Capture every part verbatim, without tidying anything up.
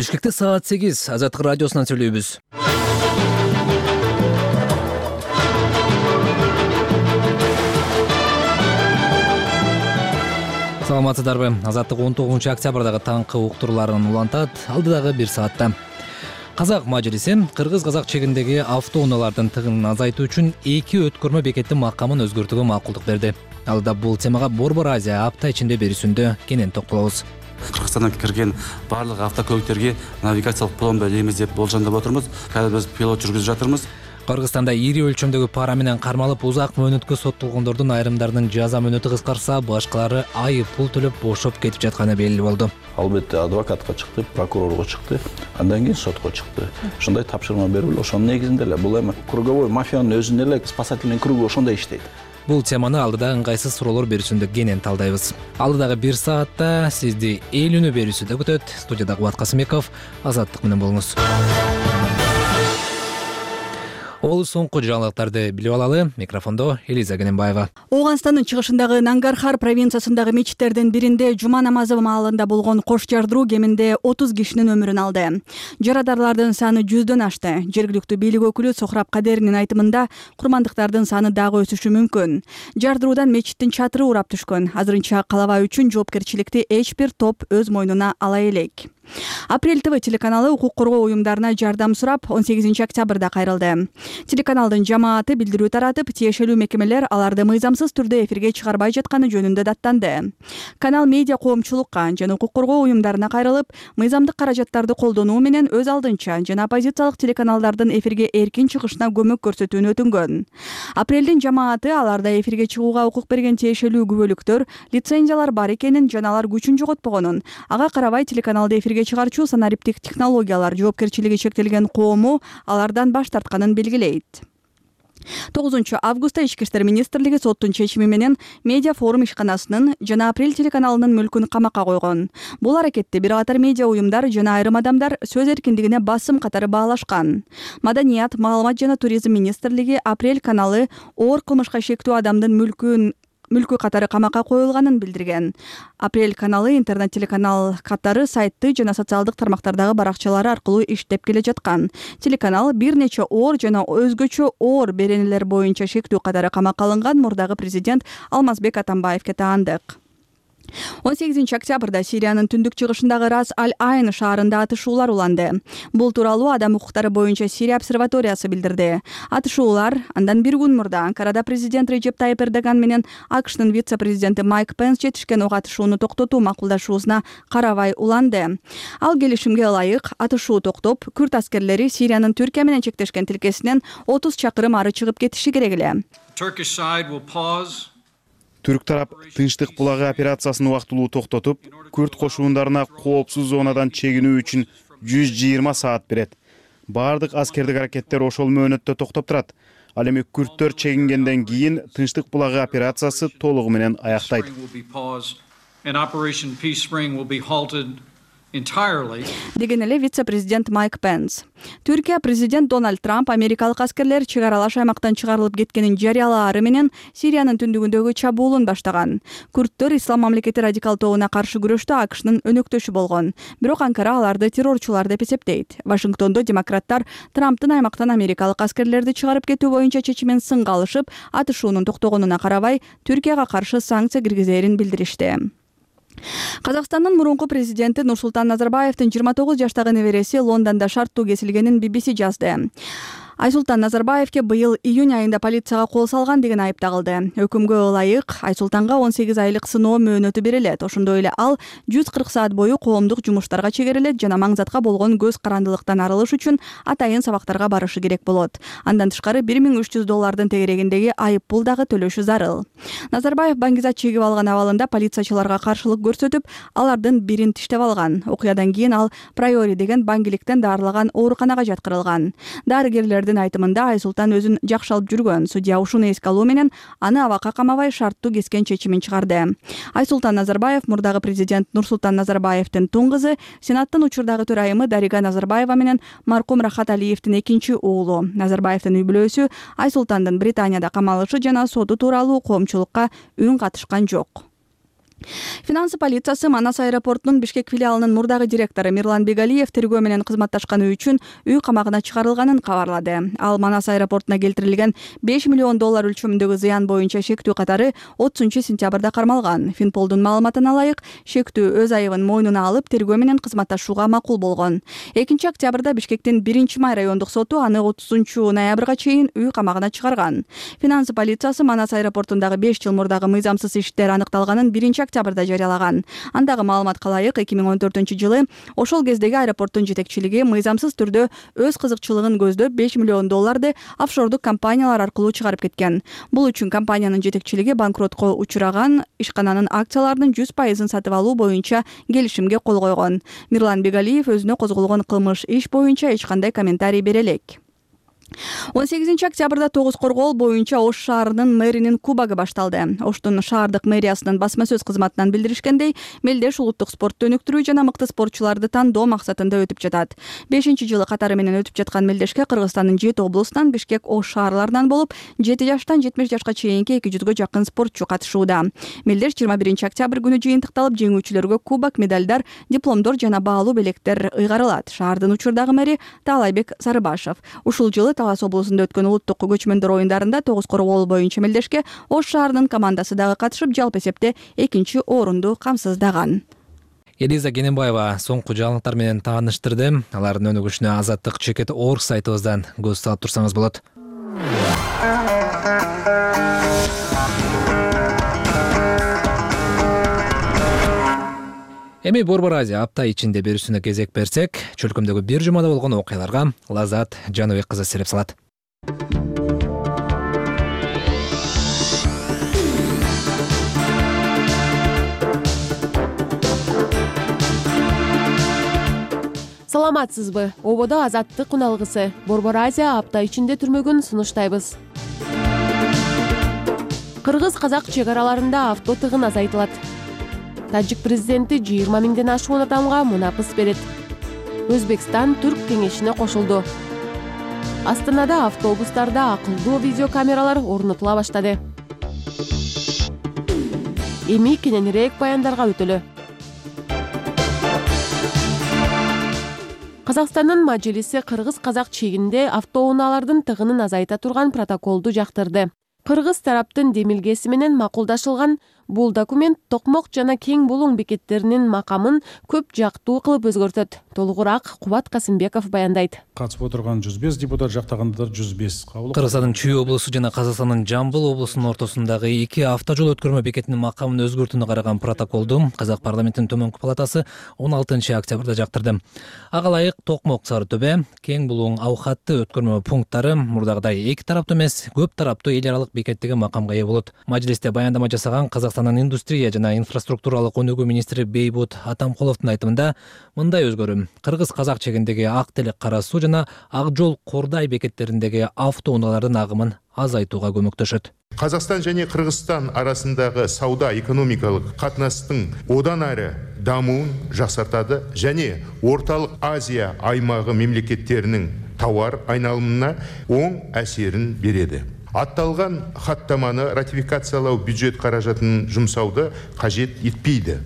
Бишкекте саат сегиз Азаттык радиосунан сүйлөйбүз. Саламатсыздарбы? Азаттык он тогузунчу октябрдагы таңкы уктурууларын улантат. Алдыдагы бир саатта. Казак мажлиси кыргыз-казак чегиндеги автоунаалардын тыгынын азайтуу үчүн эки өткөрмө бекеттин макамын өзгөртүүгө макулдук берди. Алдыда бул темага Борбор Азия апта ичинде берүүсүндө кенен токтолобуз. Кыргызстандан кирген барлык автокөлүктөргө навигациялык пломба элейбиз деп болжондоп отурбуз. Казыр биз пилот жүргүзүп жатырбыз. Кыргызстанда ири өлчөмдөгү пара менен кармалып узак мөөнөткө соттолгондордун айрымдарынын жаза мөөнөтү кыскарса, башкалары айып пул төлөп бошоп кетип жатканы белгилүү болду. Албетте адвокатка чыкты, прокурорго чыкты, андан кийин сотко чыкты. Ошондой тапшырма берип эле ошонун негизинде эле бул эми круговой мафиянын өзүнө эле спасательный кругу ошондой иштейт. Бул теманы алдыда ыңгайсыз суроолор берүүсүндө кенен талдайбыз. Алдыдагы бир саатта сизди эл үнү берүүсүндө күтөт. Студияда Кубат Касымбеков, Азаттык менен болуңуз. Ол соңку жаңылыктарды билип алалы. Микрофондо Элиза Гененбаева. Ооганстандын чыгышындагы Нангархар провинциясындагы мечиттердин биринде жума намазы маалында болгон кош жардыруу кеминде отуз кишинин өмүрүн алды. Жарадарлардын саны жүздөн ашты. Жергиликтүү бийлик өкүлү Сохраб Кадеринин айтымында курмандыктардын саны дагы өсүшү мүмкүн. Жардыруудан мечиттин чатыры урап түшкөн. Азырынча калабаа үчүн жоопкерчиликти эч бир топ өз мойнуна ала элек. Апрель ТВ телеканалы укук коргоо уюмдарына жардам сурап он сегизинчи октябрда кайрылды. Телеканалдын жамааты билдирүү таратып, тиешелүү мекемелер аларды мыйзамсыз түрдө эфирге чыгарбай жатканы жөнүндө даттанды. Канал медиа коомчулукка жана укук коргоо уюмдарына кайрылып, мыйзамдык каражаттарды колдонуу менен өз алдынча жана оппозициялык телеканалдардын эфирге эркин чыгышына көмөк көрсөтүүнү өтүнгөн. Апрелдин жамааты аларда эфирге чыгууга укук берген тиешелүү күбөлүктөр, лицензиялар бар экенин жана алар күчүн жоготпогонун, ага карабай телеканалды эфирге чыгарчу санариптик технологиялар жоопкерчилиги чектелген коому алардан баш тартканын белгилейт. тогузунчу августта Ички иштер министрлиги соттун чечими менен медиа форум ишканасынын жана Апрель телеканалынын мүлкүн камакка койгон. Бул аракетти бир катар медиа уюмдар жана айрым адамдар сөз эркиндигине басым катары баалашкан. Маданият, маалымат жана туризм министрлиги Апрель каналы оор кылмышка шектүү адамдын мүлкүн мүлкү катары камакка коюлганын билдирген. Апрель каналы интернет телеканал катары сайты жана социалдык тармактардагы баракчалары аркылуу иштеп келе жаткан. Телеканал бир нече оор жана өзгөчө оор беренелер боюнча шектүү катары камакка алынган мурдагы президент Алмазбек Атамбаевге таандык. он сегизинчи октябрда Сириянын түндүк чыгышындагы Рас аль-Айн шаарында атышуулар уланды. Бул тууралуу адам укуктары боюнча Сирия обсерваториясы билдирди. Атышуулар андан бир күн мурда Анкарада президент Режеп Тайип Эрдоган менен АКШтын вице-президенти Майк Пенс жетишкен ок атышууну токтотуу макулдашуусуна карабай уланды. Ал келишимге ылайык атышуу токтоп, күрд аскерлери Сириянын Түркия менен чектешкен тилкесинен отуз чакырым ары чыгып кетиши керек эле. Түрк тарап тынчтык булагы операциясын убактылуу токтотуп, күрд кошундарына коопсуз зонадан чегинүү үчүн жүз жыйырма саат берет. Бардык аскердик аракеттер ошол мөөнөттө токтоп турат. Ал эми күрдтөр чегингенден кийин тынчтык булагы операциясы толугу менен аяктайт. Деген эле вице-президент Майк Пенс. Түркия президент Дональд Трамп америкалык аскерлер чек аралаш аймактан чыгарылып кеткенин жарыялаары менен Сириянын түндүгүндөгү чабуулун баштаган. Күрдтөр Ислам мамлекети радикал тобуна каршы күрөштө АКШнын өнөктөшү болгон. Бирок Анкара аларды террорчулар деп эсептейт. Вашингтондо демократтар Трамптын аймактан америкалык аскерлерди чыгарып кетүү боюнча чечимин сынга алышып, атышуунун токтогонуна карабай Түркияга каршы санкция киргизерин билдиришти. Казакстандын мурунку президенти Нурсултан Назарбаевдин жыйырма тогуз жаштагы небереси Лондондо шарттуу кесилгенин би би си жазды. Айсултан Назарбаевке быйыл июнь айында полицияга кол салган деген айып тагылды. Өкүмгө ылайык Айсултанга он сегиз айлык сыноо мөөнөтү берилет. Ошондой эле ал жүз кырк саат бою коомдук жумуштарга чегерилет жана маңзатка болгон көз карандылыктан арылыш үчүн атайын сабактарга барышы керек болот. Андан тышкары бир миң үч жүз доллардын тегерегиндеги айып пул дагы төлөшү зарыл. Назарбаев баңгизат чегип алган абалында полициячыларга каршылык көрсөтүп, алардын бирин тиштеп алган. Окуядан кийин ал Прайори деген баңгиликтен дарылаган ооруканага жаткырылган. Дарыгерлер айтымында Айсултан өзүн жакшы алып жүргөн. Судья ушуну эске алуу менен аны абакка камабай шарттуу кескен чечимин чыгарды. Айсултан Назарбаев мурдагы президент Нурсултан Назарбаевдин тун кызы, Сенаттын учурдагы төрайымы Дарига Назарбаева менен маркум Рахат Алиевдин экинчи уулу. Назарбаевдин үй бүлөсү Айсултандын Британияда камалышы жана соту тууралуу коомчулукка үн катышкан жок. Финансы полициясы Манас аэропортунун Бишкек филиалынын мурдагы директору Мирлан Бегалиев тергөө менен кызматташканы үчүн үй камагына чыгарылганын кабарлады. Ал Манас аэропортуна келтирилген беш миллион доллар өлчөмүндөгү зыян боюнча шектүү катары отузунчу сентябрда кармалган. Финполдун маалыматына ылайык, шектүү өз айыбын мойнуна алып тергөө менен кызматташууга макул болгон. экинчи октябрда Бишкектин биринчи май райондук соту аны отузунчу ноябрга чейин үй камагына чыгарган. Финансы полициясы Манас аэропортундагы беш жыл мурдагы мыйзамсыз иштер аныкталганын биринчи октябрда жарыялаган. Андагы маалыматка ылайык, эки миң он төртүнчү жылы ошол кездеги аэропорттун жетекчилиги мыйзамсыз түрдө өз кызыкчылыгын көздөп беш миллион долларды офшордук компаниялар аркылуу чыгарып кеткен. Бул үчүн компаниянын жетекчилиги банкротко учураган ишкананын акцияларынын жүз пайызын сатып алуу боюнча келишимге кол койгон. Мирлан Бегалиев өзүнө козголгон кылмыш иш боюнча эч кандай комментарий бере элек. он сегизинчи октябрда тогуз коргоол боюнча Ош шаарынын мэринин кубогу башталды. Оштун шаардык мэриясынын басма сөз кызматынан билдиришкендей, мелдеш улуттук спортту өнүктүрүү жана мыкты спортчуларды тандоо максатында өтүп жатат. бешинчи жылы катары менен өтүп жаткан мелдешке Кыргызстандын жети облусунан, Бишкек, Ош шаарларынан болуп, жети жаштан жетимиш жашка чейинки эки жүзгө жакын спортчу катышууда. Мелдеш жыйырма биринчи октябрь күнү жыйынтыкталып, жеңүүчүлөргө кубок, медалдар, дипломдор жана баалуу белектер ыйгарылат. Шаардын учурдагы мэри Таалайбек Сарыбашев ушул жылы Талас облусунда өткөн улуттук көчмөндөр оюндарында тогуз коргоол боюнча мелдешке Ош шаарынын командасы дагы катышып, жалпы эсепте экинчи орунду камсыздаган. Элиза Кененбаева соңку жаңылыктар менен тааныштырды. Алардын өнүгүшүнө Азаттык чекит орг сайтыбыздан көз салып турсаңыз болот. Эми Борбор Азия апта ичинде берүүсүнө кезек берсек, чөлкөмдөгү бир жумада болгон окуяларга Лазат Жаныбек кызы сереп салат. Саламатсызбы? Ободо Азаттык уналгысы Борбор Азия апта ичинде түрмөгүн сунуштайбыз. Кыргыз-казак чек араларында авто тыгын азайтылат. Тажик президенти жыйырма миңден ашуун адамга мунапыс берет. Өзбекстан Түрк кеңешине кошулду. Астанада автобустарда акылдуу видеокамералар орнотула баштады. Эми кененирээк баяндарга өтөлү. Казакстандын Мажилиси кыргыз-казак чегинде автоунаалардын тыгынын азайта турган протоколду жактырды. Кыргыз тараптын демилгеси менен макулдашылган бул документ токмок жана кең булуң бекеттеринин макамын көп жактуу кылып өзгөртөт. Толугураак Кубат Касымбеков баяндайт. Катышып отырган жүз беш депутат, жактагандар жүз беш. Кыргызстандын Чүй облусу жана Казакстандын Жамбыл облусунун ортосундагы эки автожол өткөрмө бекетинин макамын өзгөртүүнү караган протоколду Казак парламентинин төмөнкү палатасы он алтынчы октябрда жактырды. Ага ылайык Токмок Сары Төбө, Кең булуң аукатты өткөрмө пункттары мурдагыдай эки тараптуу эмес, көп тараптуу эл аралык бекеттеги макамга ээ болот. Мажлисте баяндама жасаган Казакстандын индустрия жана инфраструктуралык өнүгүү министри Бейбут Атамкуловдун айтымында мындай өзгөрүү кыргыз-казак чегиндеги Ак Телек Кара Суу жана Ак Жол Кордай бекеттериндеги автоунаалардын агымын азайтууга көмөктөшөт. Казакстан және Кыргызстан арасындағы сауда-экономикалық қатынастың одан әрі дамуын жақсартады және Орталық Азия аймағы мемлекеттерінің тауар айналымына оң әсерін береді. Атталған хаттаманы ратификациялау бюджет қаражатын жұмсауды қажет етпейді.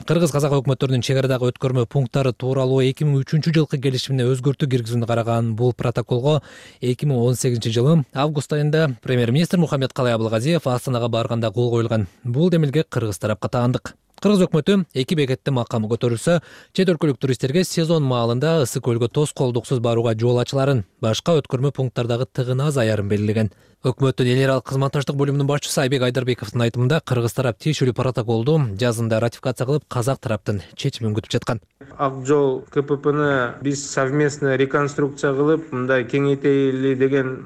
Кыргыз-казак өкмөттөрүнүн чек арадагы өткөрмө пункттары тууралуу эки миң үчүнчү жылкы келишимине өзгөртүү киргизүүнү караган бул протоколго эки миң он сегизинчи жылы август айында премьер-министр Мухаммедкалай Абылгазиев Астанага барганда кол коюлган. Бул демилге кыргыз тарапка таандык. Кыргыз өкмөтү эки бекеттин макамы көтөрүлсө, чет өлкөлүк туристтерге сезон маалында Ысык көлгө тоскоолдуксуз барууга жол ачыларын, башка өткөрмө пункттардагы тыгын азаярын белгилеген. Өкмөттүн эл аралык кызматташтык бөлүмүнүн башчысы Айбек Айдарбековдун айтымында кыргыз тарап тиешелүү протоколду жазында ратификация кылып, казак тараптын чечимин күтүп жаткан. Ак Жол КППны биз совместно реконструкция кылып, мындай кеңейтели деген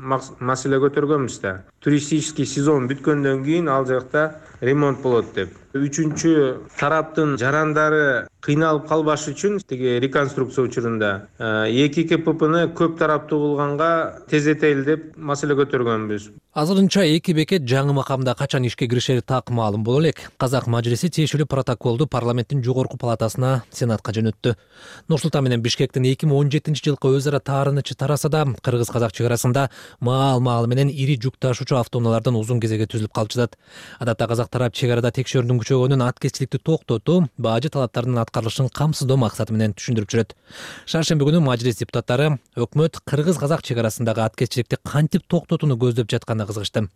маселе көтөргөнбүз да. Туристический сезон бүткөндөн кийин ал жакта ремонт болот деп. Үчүнчү тараптын жарандары кыйналып калбаш үчүн тиги реконструкция учурунда эки КППны көп тараптуу болгонга тездетели деп маселе көтөргөнбүз. Азырынча эки бекет жаңы макамда качан ишке киришери так маалым боло элек. Казак мажлиси тиешелүү протоколду парламенттин жогорку палатасына, сенатка жөнөттү. Нур-Султан менен Бишкектин эки миң он жетинчи жылкы өз ара таарынычы тараса да, кыргыз-казак чек арасында маал-маалы менен ири жүк ташуучу автоунаалардан узун кезеге түзүлүп калып жатат. Адатта казак тарап чек арада текшерүүнүн күчөгөнүн, аткезчиликти токтотуу, бажы талаптарынын аткарылышын камсыздоо максаты менен түшүндүрүп жүрөт. Шаршемби күнү мажлис депутаттары өкмөт кыргыз-казак чек арасындагы аткезчиликти кантип токтотууну көздөп жаткан кызыгышты.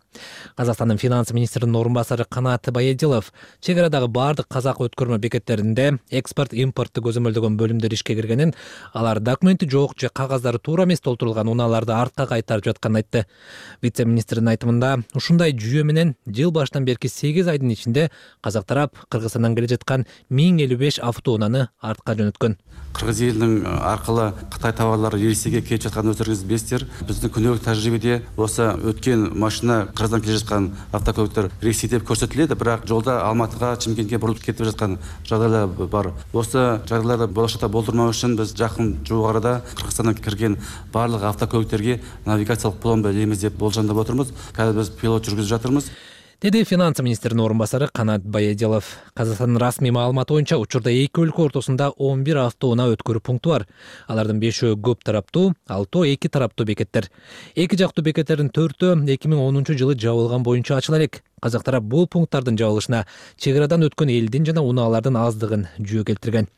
Казакстандын финанс министринин орун басары Канат Баядилов чек арадагы бардык казак өткөрмө бекеттеринде экспорт импортты көзөмөлдөгөн бөлүмдөр ишке киргенин, алар документи жок же кагаздары туура эмес толтурулган унааларды артка кайтарып жатканын айтты. Вице-министрдин айтымында, ушундай жүйө менен жыл башынан берки сегиз айдын ичинде казак тарап Кыргызстандан келе жаткан миң элүү беш автоунааны артка жөнөткөн. Кыргыз элинин аркылуу Кытай товарлары Ресейге келип жатканын өздөрүңүз билесиздер. Биздин күнөөбүк тажрыйбеде болсо өткөн машина Кыргыздан келе жаткан автокөлүктөр Ресей деп көрсөтүлөт, бирок жолда Алматыга, Чымкентке бурулуп кетип жаткан жагдайлар бар. Осы жагдайларды болошокто болдурмоо үчүн биз жакын жук арада Кыргызстандан кирген барлык автокөлүктөргө навигациялык пломба илейбиз деп болжондоп отурбуз. Қазір биз пилот жүргүзүп жатырбыз. Деди финанс министринин орун басары Канат Баядилов. Казакстандын расмий маалыматы боюнча учурда эки өлкө ортосунда он бир автоунаа өткөрүү пункту бар. Алардын бешөө көп тараптуу, алтоо эки тараптуу бекеттер. Эки жактуу бекеттердин төртөө эки миң онунчу жылы жабылган боюнча ачыла элек. Казак тарап бул пункттардын жабылышына чек арадан өткөн элдин жана унаалардын аздыгын жүйө келтирген.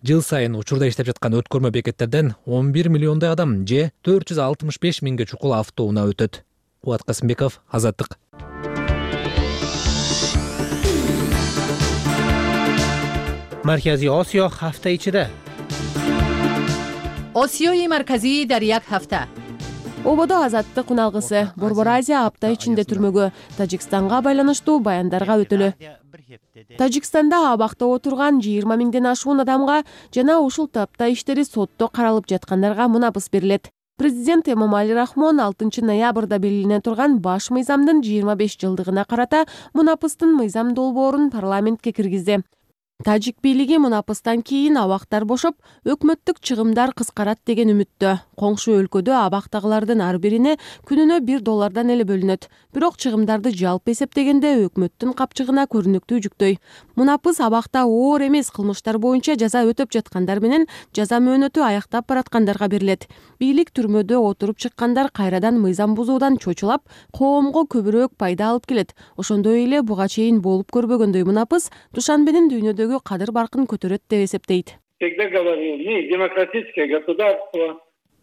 Жыл сайын учурда иштеп жаткан өткөрмө бекеттерден он бир миллиондой адам же төрт жүз алтымыш беш миңге чукул автоунаа өтөт. Кубат Касымбеков, Азаттык. Маркази Осиё ҳафта ичида. Осиёи марказӣ дар як ҳафта. Ободо Азаттык уналгысы Борбор Азия апта ичинде түрмөгө Тажикстанга байланыштуу баяндарга өтөлү. Тажикстанда абакта отурган жыйырма миңден ашуун адамга жана ушул тапта иштери сотто каралып жаткандарга мунапыс берилет. Президент Эмомали Рахмон алтынчы ноябрда белгилене турган баш мыйзамдын жыйырма беш жылдыгына карата мунапыстын мыйзам долбоорун парламентке киргизди. Тажик бийлиги мунапыстан кийин абактар бошоп, өкмөттүк чыгымдар кыскарат деген үмүттө. Коңшу өлкөдө абактагылардын ар бирине күнүнө бир доллардан эле бөлүнөт. Бирок чыгымдарды жалпы эсептегенде өкмөттүн капчыгына көрүнүктүү жүктөй. Мунапыс абакта оор эмес кылмыштар боюнча жаза өтөп жаткандар менен жаза мөөнөтү аяктап бараткандарга берилет. Бийлик түрмөдө отуруп чыккандар кайрадан мыйзам бузуудан чочулап, коомго көбүрөөк пайда алып келет. Ошондой эле буга чейин болуп көрбөгөндөй мунапыс Душанбенин дүйнөдөгү кадыр баркын көтөрөт деп эсептейт.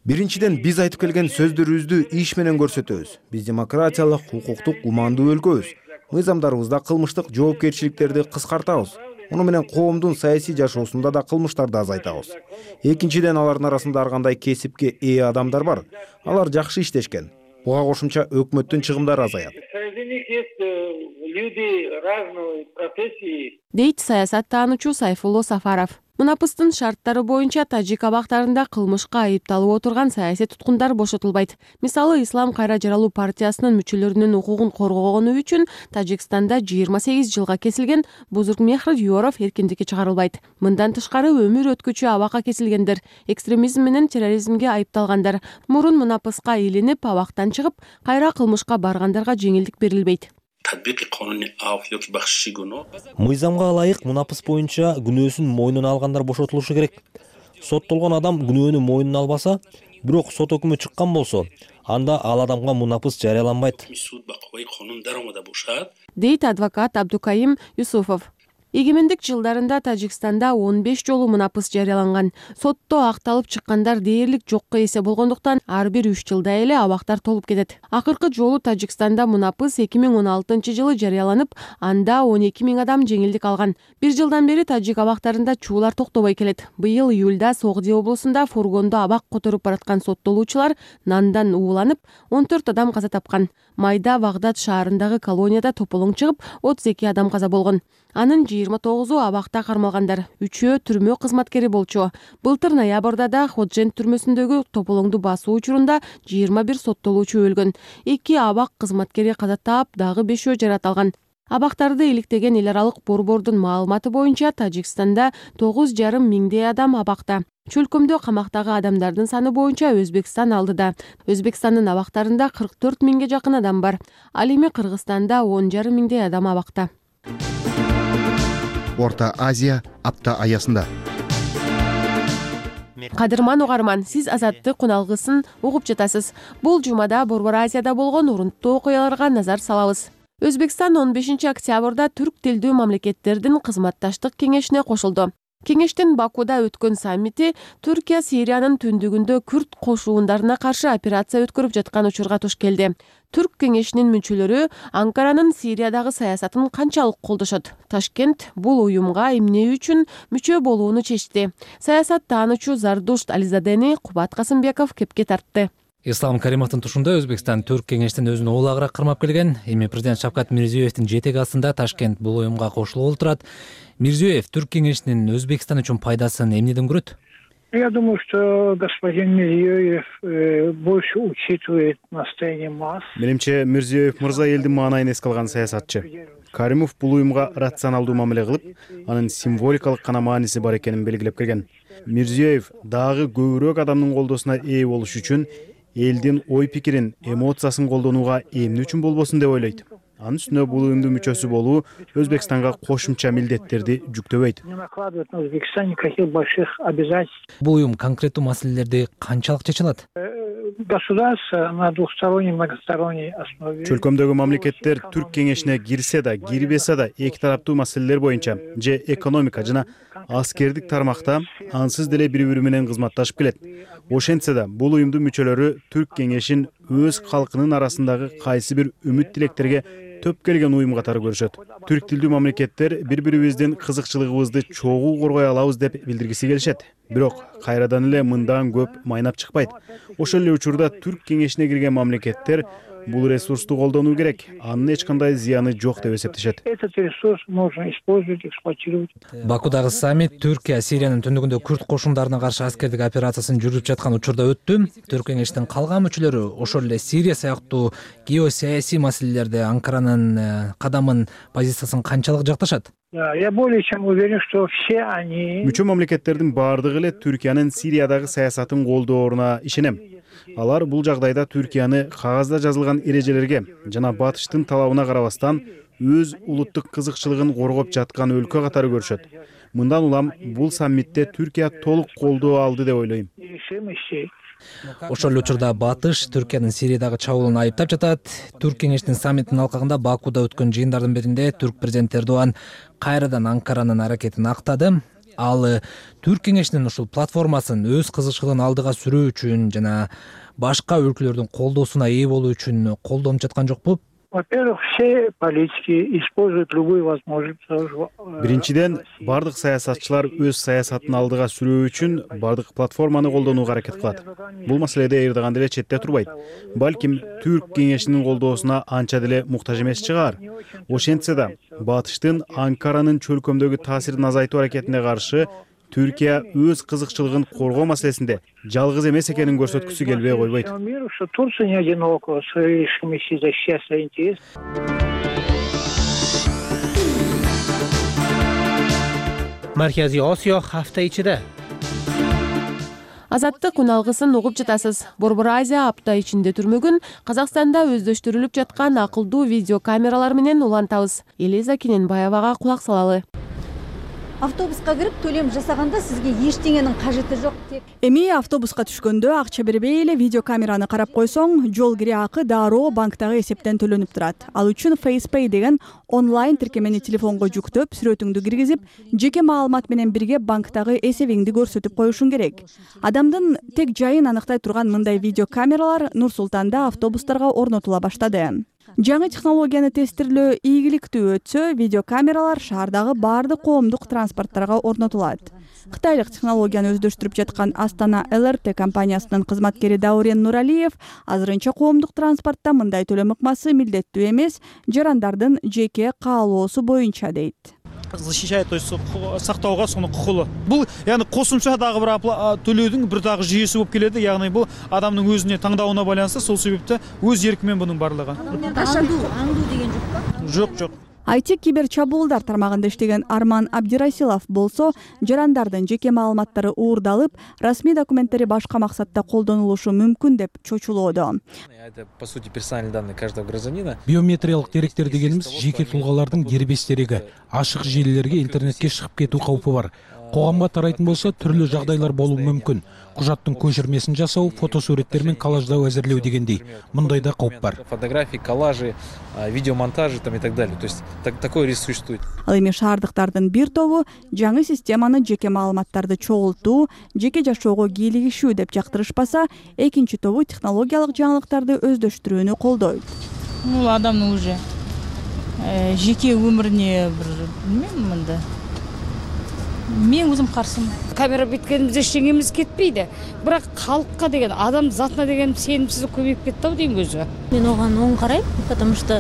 Биринчиден биз айтып келген сөздөрүбүздү иш менен көрсөтөбүз. Биз демократиялык, укуктук, кумандуу өлкөбүз. Мыйзамдарыбызда кылмыштык жоопкерчиликтерди кыскартабыз. Муну менен коомдун саясий жашоосунда да кылмыштарды азайтабыз. Экинчиден алардын арасында ар кандай кесипке ээ адамдар бар. Алар жакшы иштешкен. Буга кошумча өкмөттүн чыгымдары азаят. Дейт саясаттануучу Сайфулло Сафаров. Мунапыстын шарттары боюнча тажик абактарында кылмышка айыпталып отурган саясий туткундар бошотулбайт. Мисалы, Ислам кайра жаралуу партиясынын мүчөлөрүнүн укугун коргогону үчүн Тажикстанда жыйырма сегиз жылга кесилген Бузургмехр Юоров эркиндикке чыгарылбайт. Мындан тышкары өмүр өткүчү абакка кесилгендер, экстремизм менен терроризмге айыпталгандар, мурун мунапыска илинип абактан чыгып, кайра кылмышка баргандарга жеңилдик берилбейт. Мыйзамга ылайык мунапыс боюнча күнөөсүн мойнуна алгандар бошотулушу керек. Соттолгон адам күнөөнү мойнуна албаса, бирок сот өкүмү чыккан болсо, анда ал адамга мунапыс жарыяланбайт. Дейт адвокат Абдукаим Юсуфов. Эгемендик жылдарында Тажикстанда он беш жолу мунапыс жарыяланган. Сотто акталып чыккандар дээрлик жокко эсе болгондуктан ар бир үч жылда эле абактар толуп кетет. Акыркы жолу Тажикстанда мунапыс эки миң он алтынчы жылы жарыяланып, анда он эки миң адам жеңилдик алган. Бир жылдан бери тажик абактарында чуулар токтобой келет. Быйыл июлда Согди облусунда фургондо абак которуп бараткан соттолуучулар нандан ууланып, он төрт адам каза тапкан. Майда Багдад шаарындагы колонияда тополоң чыгып, отуз эки адам каза болгон. Анын жыйырма тогузу абакта кармалгандар, үчөө түрмө кызматкери болчу. Былтыр ноябрда да Ходжент түрмөсүндөгү тополоңду басуу учурунда жыйырма бир соттолуучу өлгөн. Эки абак кызматкери каза таап, дагы бешөө жарат алган. Абактарды иликтеген эл аралык борбордун маалыматы боюнча Тажикстанда тогуз жарым миңдей адам абакта. Чөлкөмдө камактагы адамдардын саны боюнча Өзбекстан алдыда. Өзбекстандын абактарында кырк төрт миңге жакын адам бар. Ал эми Кыргызстанда он жарым миңдей адам абакта. Орто Азия апта аясында. Кадырман угарман, сиз Азаттык куналгысын угуп жатасыз. Бул жумада Борбор Азияда болгон урунттуу окуяларга назар салабыз. Өзбекстан он бешинчи октябрда түрк тилдүү мамлекеттердин кызматташтык кеңешине кошулду. Кеңештин Бакуда өткөн саммити Түркия Сириянын түндүгүндө күрд кошуундарына каршы операция өткөрүп жаткан учурга туш келди. Түрк кеңешинин мүчөлөрү Анкаранын Сириядагы саясатын канчалык колдошот? Ташкент бул уюмга эмне үчүн мүчө болууну чечти. Саясат таануучу Зардушт Ализадени Кубат Касымбеков кепке тартты. Ислам Каримовдун тушунда Өзбекстан түрк кеңештин өзүн олагыраак кармап келген. Эми президент Шавкат Мирзиёевдин жетеги астында Ташкент бул уюмга кошулуп турат. Мирзиёев түрк кеңешинин Өзбекстан үчүн пайдасын эмнеден көрөт? Я думаю, что господин Мирзиёев больше учитывает настроение масс. Менимче Мирзиёев мырза элдин маанайын эске алган саясатчы. Каримов бул уюмга рационалдуу мамиле кылып, анын символикалык гана мааниси бар экенин белгилеп келген. Мирзиёев дагы көбүрөөк адамдын колдоосуна ээ болуш үчүн элдин ой пикирин, эмоциясын колдонууга эмне үчүн болбосун деп ойлойт. Анын үстүнө бул уюмдун мүчөсү болуу Өзбекстанга кошумча милдеттерди жүктөбөйт. Бул уюм конкреттүү маселелерди канчалык чече алат? Государство на двухсторонней, многосторонней основе. Чөлкөмдөгү мамлекеттер түрк кеңешине кирсе да, кирбесе да эки тараптуу маселелер боюнча же экономика жана аскердик тармакта ансыз деле бири-бири менен кызматташып келет. Ошентсе да бул уюмдун мүчөлөрү түрк кеңешин өз калкынын арасындагы кайсы бир үмүт тилектерге төп келген уюм катары көрүшөт. Түрк тилдүү мамлекеттер бири-бирибиздин кызыкчылыгыбызды чогуу коргой алабыз деп билдиргиси келишет. Бирок кайрадан эле мындан көп майнап чыкпайт. Ошол эле учурда түрк кеңешине кирген мамлекеттер бул ресурсту колдонуу керек. Анын эч кандай зыяны жок деп эсептешет. Этот ресурс можно использовать, эксплуатировать. Бакудагы саммит Түркия Сириянын түндүгүндө күрд кошундарына каршы аскердик операциясын жүргүзүп жаткан учурда өттү. Түрк кеңештин калган мүчөлөрү ошол эле Сирия сыяктуу геосаясий маселелерде Анкаранын кадамын, позициясын канчалык жакташат? Я более чем уверен, что все они... Мүчө мамлекеттердин баардыгы эле Түркиянын Сириядагы саясатын колдооруна ишенем. Алар бул жагдайда Түркияны кагазда жазылган эрежелерге жана батыштын талабына карабастан өз улуттук кызыкчылыгын коргоп жаткан өлкө катары көрүшөт. Мындан улам бул саммитте Түркия толук колдоо алды деп ойлойм. Ошол учурда батыш Түркиянын Сириядагы чабуулун айыптап жатат. Түрк кеңештин саммитинин алкагында Бакуда өткөн жыйындардын биринде түрк президенти Эрдоган кайрадан Анкаранын аракетин актады. Ал түрк кеңешинин ушул платформасын өз кызыкчылыгын алдыга сүрүү үчүн жана башка өлкөлөрдүн колдоосуна ээ болуу үчүн колдонуп жаткан жокпу? Во-первых, все политики используют любую возможность. Биринчиден, бардык саясатчылар өз саясатын алдыга сүрүү үчүн бардык платформаны колдонууга аракет кылат. Бул маселеде Эрдоган деле четте турбайт. Балким түрк кеңешинин колдоосуна анча деле муктаж эмес чыгар. Ошентсе да, батыштын Анкаранын чөлкөмдөгү таасирин азайтуу аракетине каршы Түркия өз кызыкчылыгын коргоо маселесинде жалгыз эмес экенин көрсөткүсү келбей койбойт. Турция не одинока в своей решимости защищать свои интересы. Марказий Осиё hafta ичиде. Азаттык уналгысын угуп жатасыз. Борбор Азия апта ичинде түрмөгүн Казакстанда өздөштүрүлүп жаткан акылдуу видео камералар менен улантабыз. Элиза Кененбаевага кулак салалы. Автобуска кирип төлөм жасаганда сизге эчтеңенин кажети жок. Эми автобуска түшкөндө акча бербей эле видео камераны карап койсоң, жол кире акы дароо банктагы эсептен төлөнүп турат. Ал үчүн FacePay деген онлайн тиркемени телефонго жүктөп, сүрөтүңдү киргизип, жеке маалымат менен бирге банктагы эсебиңди көрсөтүп коюшуң керек. Адамдын тек жайын аныктай турган мындай видео камералар Нур Султанда автобустарга орнотула баштады. Жаңы технологияны тестирлөө ийгиликтүү өтсө, видео камералар шаардагы баардык коомдук транспорттарга орнотулат. Кытайлык технологияны өздөштүрүп жаткан Астана эл эр тэ компаниясынын кызматкери Даурен Нуралиев азырынча коомдук транспортто мындай төлөм ыкмасы милдеттүү эмес, жарандардын жеке каалоосу боюнча дейт. Защищает, то есть сактоого сону кукулу. Бул яны косумча дагы бир төлөөдүн бир дагы жүйөсү болуп келеди. Ягни бул адамдын өзүнө таңдауына байланыштуу, сол себепте өз эрки менен бунун барлыгы. Аңдуу, аңдуу деген жокпу? Жок, жок. ай ти кибер чабуулдар тармагында иштеген Арман Абдирасилов болсо, жарандардын жеке маалыматтары уурдалып, расмий документтери башка максатта колдонулушу мүмкүн деп чочулоодо. Это, по сути, персональные данные каждого гражданина. Биометриялык деректер дегенimiz жеке тулгалардын дербес дерегі. Ашык желілерге интернетке шығып кетүү каупу бар. Коомго тарайтын болсо түрлүү жагдайлар болуу мүмкүн. Кужаттын көчүрмесин жасоо, фотосуреттер менен коллаждоо азирлөө дегендей. Мындай да кауп бар. Фотографии, коллажи, видеомонтажи там и так далее. То есть так, такой риск существует. Ал эми шаардыктардын бир тобу жаңы системаны жеке маалыматтарды чогултуу, жеке жашоого кийлигишүү деп жактырышпаса, экинчи тобу технологиялык жаңылыктарды өздөштүрүүнү колдойт. Бул адамдын уже жеке өмүрүнө бир билбейм мындай. Мен өзім қарсымын. Камера биткеніміз ештеңеміз кетпейді. Бірақ халыққа деген, адам затына деген сенімсіздік көбейіп кетті ау деймін өзі. Мен оған оң қараймын, потому что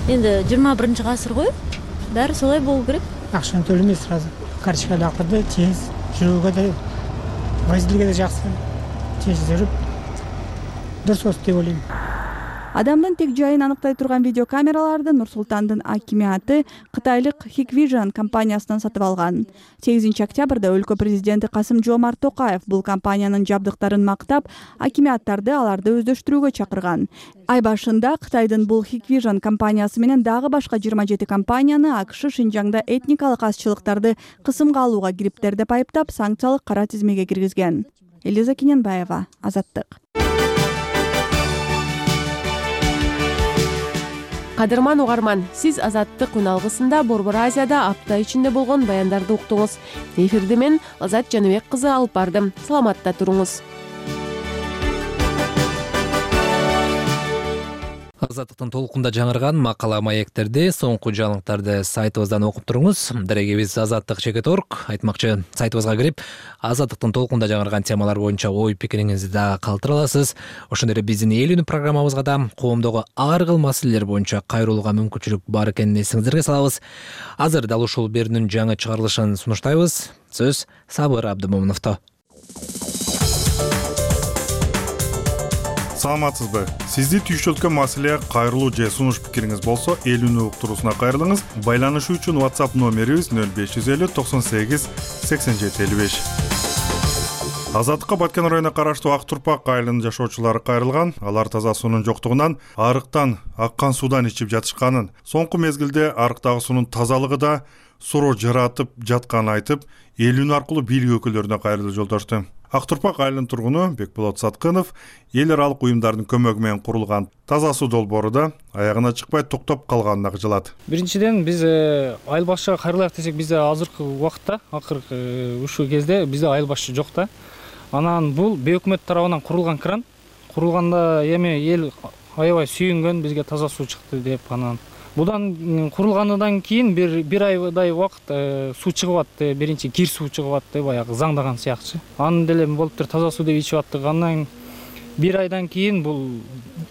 енді жиырма биринчи ғасыр ғой, бәрі солай болу керек. Ақшаны төлемей сразу. Карточкада ақырды, тез, жүруге де, водительге де жақсы, тез жүріп, дұрыс осы деп ойлаймын. Адамдын тек жайын аныктай турган видеокамераларды Нур Султандын акимиаты кытайлык Hikvision компаниясынан сатып алган. сегизинчи октябрда өлкө президенти Касым-Жомарт Токаев бул компаниянын жабдыктарын мактап, акимиаттарды аларды өздөштүрүүгө чакырган. Ай башында Кытайдын бул Hikvision компаниясы менен дагы башка жыйырма жети компанияны АКШ Шинжаңда этникалык азчылыктарды кысымга алууга кириптер деп айыптап, санкциялык кара тизмеге киргизген. Элиза Кененбаева, Азаттык. Кадырман угарман, сиз Азаттык үналгысында Борбор Азияда апта ичинде болгон баяндарды уктуңуз. Эфирди мен Азат Жаныбек кызы алып бардым. Саламатта туруңуз. Азаттыктын толкунда жаңырган макала маектерди, соңку жаңылыктарды сайтыбыздан окуп туруңуз. Дарегебиз азаттык чекит точка орг. Айтмакчы, сайтыбызга кирип, Азаттыктын толкунда жаңырган темалар боюнча ой пикириңизди да калтыра аласыз. Ошондой эле биздин эл үнү программабызга да коомдогу ар кыл маселелер боюнча кайрылууга мүмкүнчүлүк бар экенин эсиңиздерге салабыз. Азыр дал ушул берүүнүн жаңы чыгарылышын сунуштайбыз. Сөз Сабыр Абдымомуновдо. Саламатсызбы? Сизди түйшөлткөн маселе кайрылуу же сунуш пикириңиз болсо, эл үнү уктуруусуна кайрылыңыз. Байланышуу үчүн WhatsApp номерибиз нөл беш жүз элүү токсон сегиз сексен жети элүү беш. Азаттыкка Баткен районуна караштуу Ак Турпак айылынын жашоочулары кайрылган. Алар таза суунун жоктугунан, арыктан, аккан суудан ичип жатышканын, соңку мезгилде арыктагы суунун тазалыгы да суроо жаратып жатканын айтып, эл үнү аркылуу бийлик өкүлдөрүнө кайрылуу жолдошту. Ак Турпак айылынын тургуну Бекболот Саткынов эл аралык уюмдардын көмөгү менен курулган таза суу долбоору аягына чыкпай токтоп калганына кыжылат. Биринчиден биз айыл башчыга кайрылайык десек, бизде азыркы убакытта, акыркы ушул кезде бизде айыл башчы жок да. Анан бул бейөкмөт тарабынан курулган кран. Курулганда эми эл аябай сүйүнгөн, бизге таза суу чыкты деп. Анан будан курулгандан кийин бир бир айдай убакыт суу чыгып атты, биринчи кир суу чыгып атты, баягы заңдаган сыяктчы. Анын деле болуптур, таза суу деп ичип аттык. Андан бир айдан кийин бул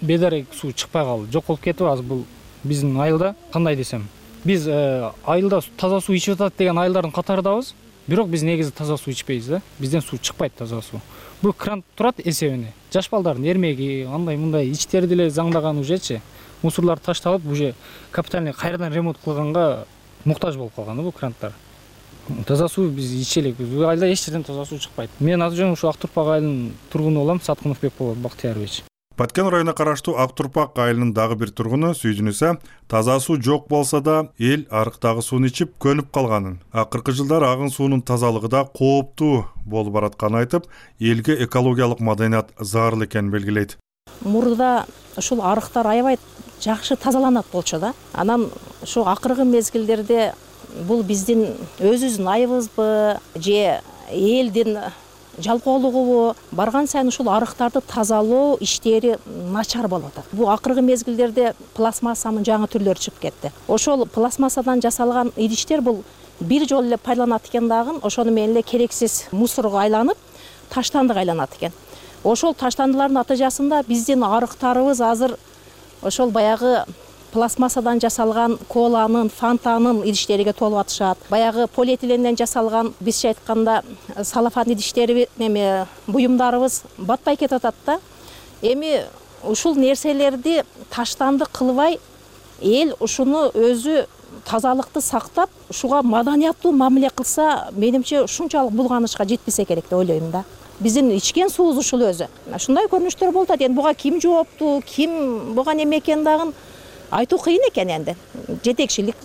бедарек суу чыкпай калды, жок болуп кетип азыр бул биздин айылда. Кандай десем, биз айылда таза суу ичип атат деген айылдардын катарындабыз. Бирок биз негизи таза суу ичпейбиз да. Бизден суу чыкпайт таза суу. Бул кран турат эсебине. Жаш балдардын эрмеги, андай мындай ичтери деле заңдаган ужечи. Мусорлар ташталып, уже капитальный кайрадан ремонт кылганга муктаж болуп калган бул кранттар. Таза суу биз ичелик. Бул айылда эч жерден таза суу чыкпайт. Мен азыр жөн ушу Ак Турпак айылынын тургуну болом, Саткынов Бекболот Бактыярович. Баткен районуна караштуу Ак Турпак айылынын дагы бир тургуну сүйдүнүсө, таза суу жок болсо да эл арыктагы сууну ичип көнүп калганын, акыркы жылдары агын суунун тазалыгы да кооптуу болуп баратканын айтып, элге экологиялык маданият зарыл экенин белгилейт. Мурда ушул арыктар аябай жакшы тазаланат болчу да. Анан ушу акыркы мезгилдерде бул биздин өзүбүздүн айыбызбы же элдин жалкоолугубу, барган сайын ушул арыктарды тазалоо иштери начар болуп атат. Бул акыркы мезгилдерде пластмассанын жаңы түрлөрү чыгып кетти. Ошол пластмассадан жасалган идиштер бул бир жолу эле пайдаланат экен дагы, ошону менен эле керексиз мусорго айланып, таштандык айланат экен. Ошол таштандылардын натыйжасында биздин арыктарыбыз азыр ошол баягы пластмассадан жасалган коланын, фантанын идиштериге толуп атышат. Баягы полиэтиленден жасалган, бизче айтканда, салафан идиштери, эми буюмдарыбыз батпай кетип атат да. Эми ушул нерселерди таштандык кылбай, эл ушуну өзү тазалыкты сактап ушуга маданияттуу мамиле кылса, менимче ушунчалык булганышка жетпесе керек деп ойлойм да. Биздин ичкен суубуз ушул өзү. Ушундай көрүнүштөр болуп атат. Эми буга ким жооптуу, ким буга неме экенин дагы айтуу кыйын экен энди. Жетекчилик,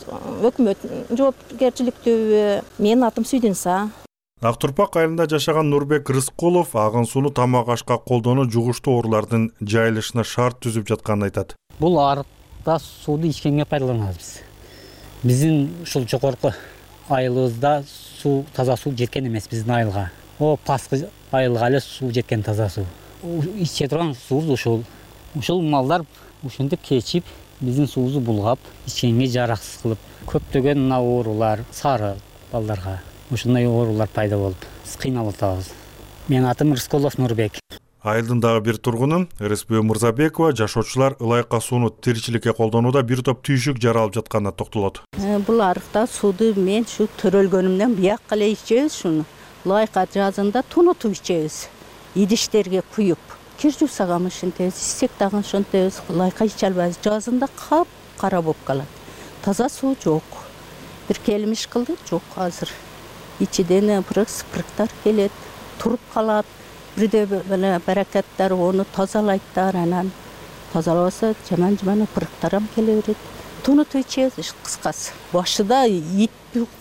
өкмөт жоопкерчиликтүүбү? Менин атым Сүйдүнса. Ак Турпак айылында жашаган Нурбек Рыскулов агын сууну тамак ашка колдонуу жугуштуу оорулардын жайылышына шарт түзүп жатканын айтат. Бул арыкта сууну ичкенге пайдаланабыз биз. Биздин ушул жогорку айылыбызда суу, таза суу жеткен эмес биздин айылга. О, паскы айылга эле суу жеткен, таза суу. Иче турган суубуз ушул. Ушул малдар ушинтип кечип, биздин суубузду булгап, ичкенге жараксыз кылып, көптөгөн мына оорулар, сары балдарга ушундай оорулар пайда болуп, биз кыйналып атабыз. Менин атым Рыскулов Нурбек. Айылдын дагы бир тургуну Рыспөө Мырзабекова жашоочулар ылайыка сууну тиричиликке колдонууда бир топ түйшүк жаралып жатканына токтолот. Бул арыкта сууду мен ушу төрөлгөнүмдөн бияк эле ичебиз шуну. Ылайыка жазында тунутуп ичебиз. Идиштерге куюп. Кир жуусаган ушинтебиз, ичсек дагы ошентебиз. Ылайыка иче албайбыз. Жазында кап кара болуп калат. Таза суу жок. Бир келмиш кылды, жок азыр. Ичиден пырык спырыктар келет, туруп калат. Бирде эле баракаттар ону тазалайттар, анан тазалабаса жаман-жаман пырыктар келе берет. Тунутуп ичебиз кыскасы. Башында ит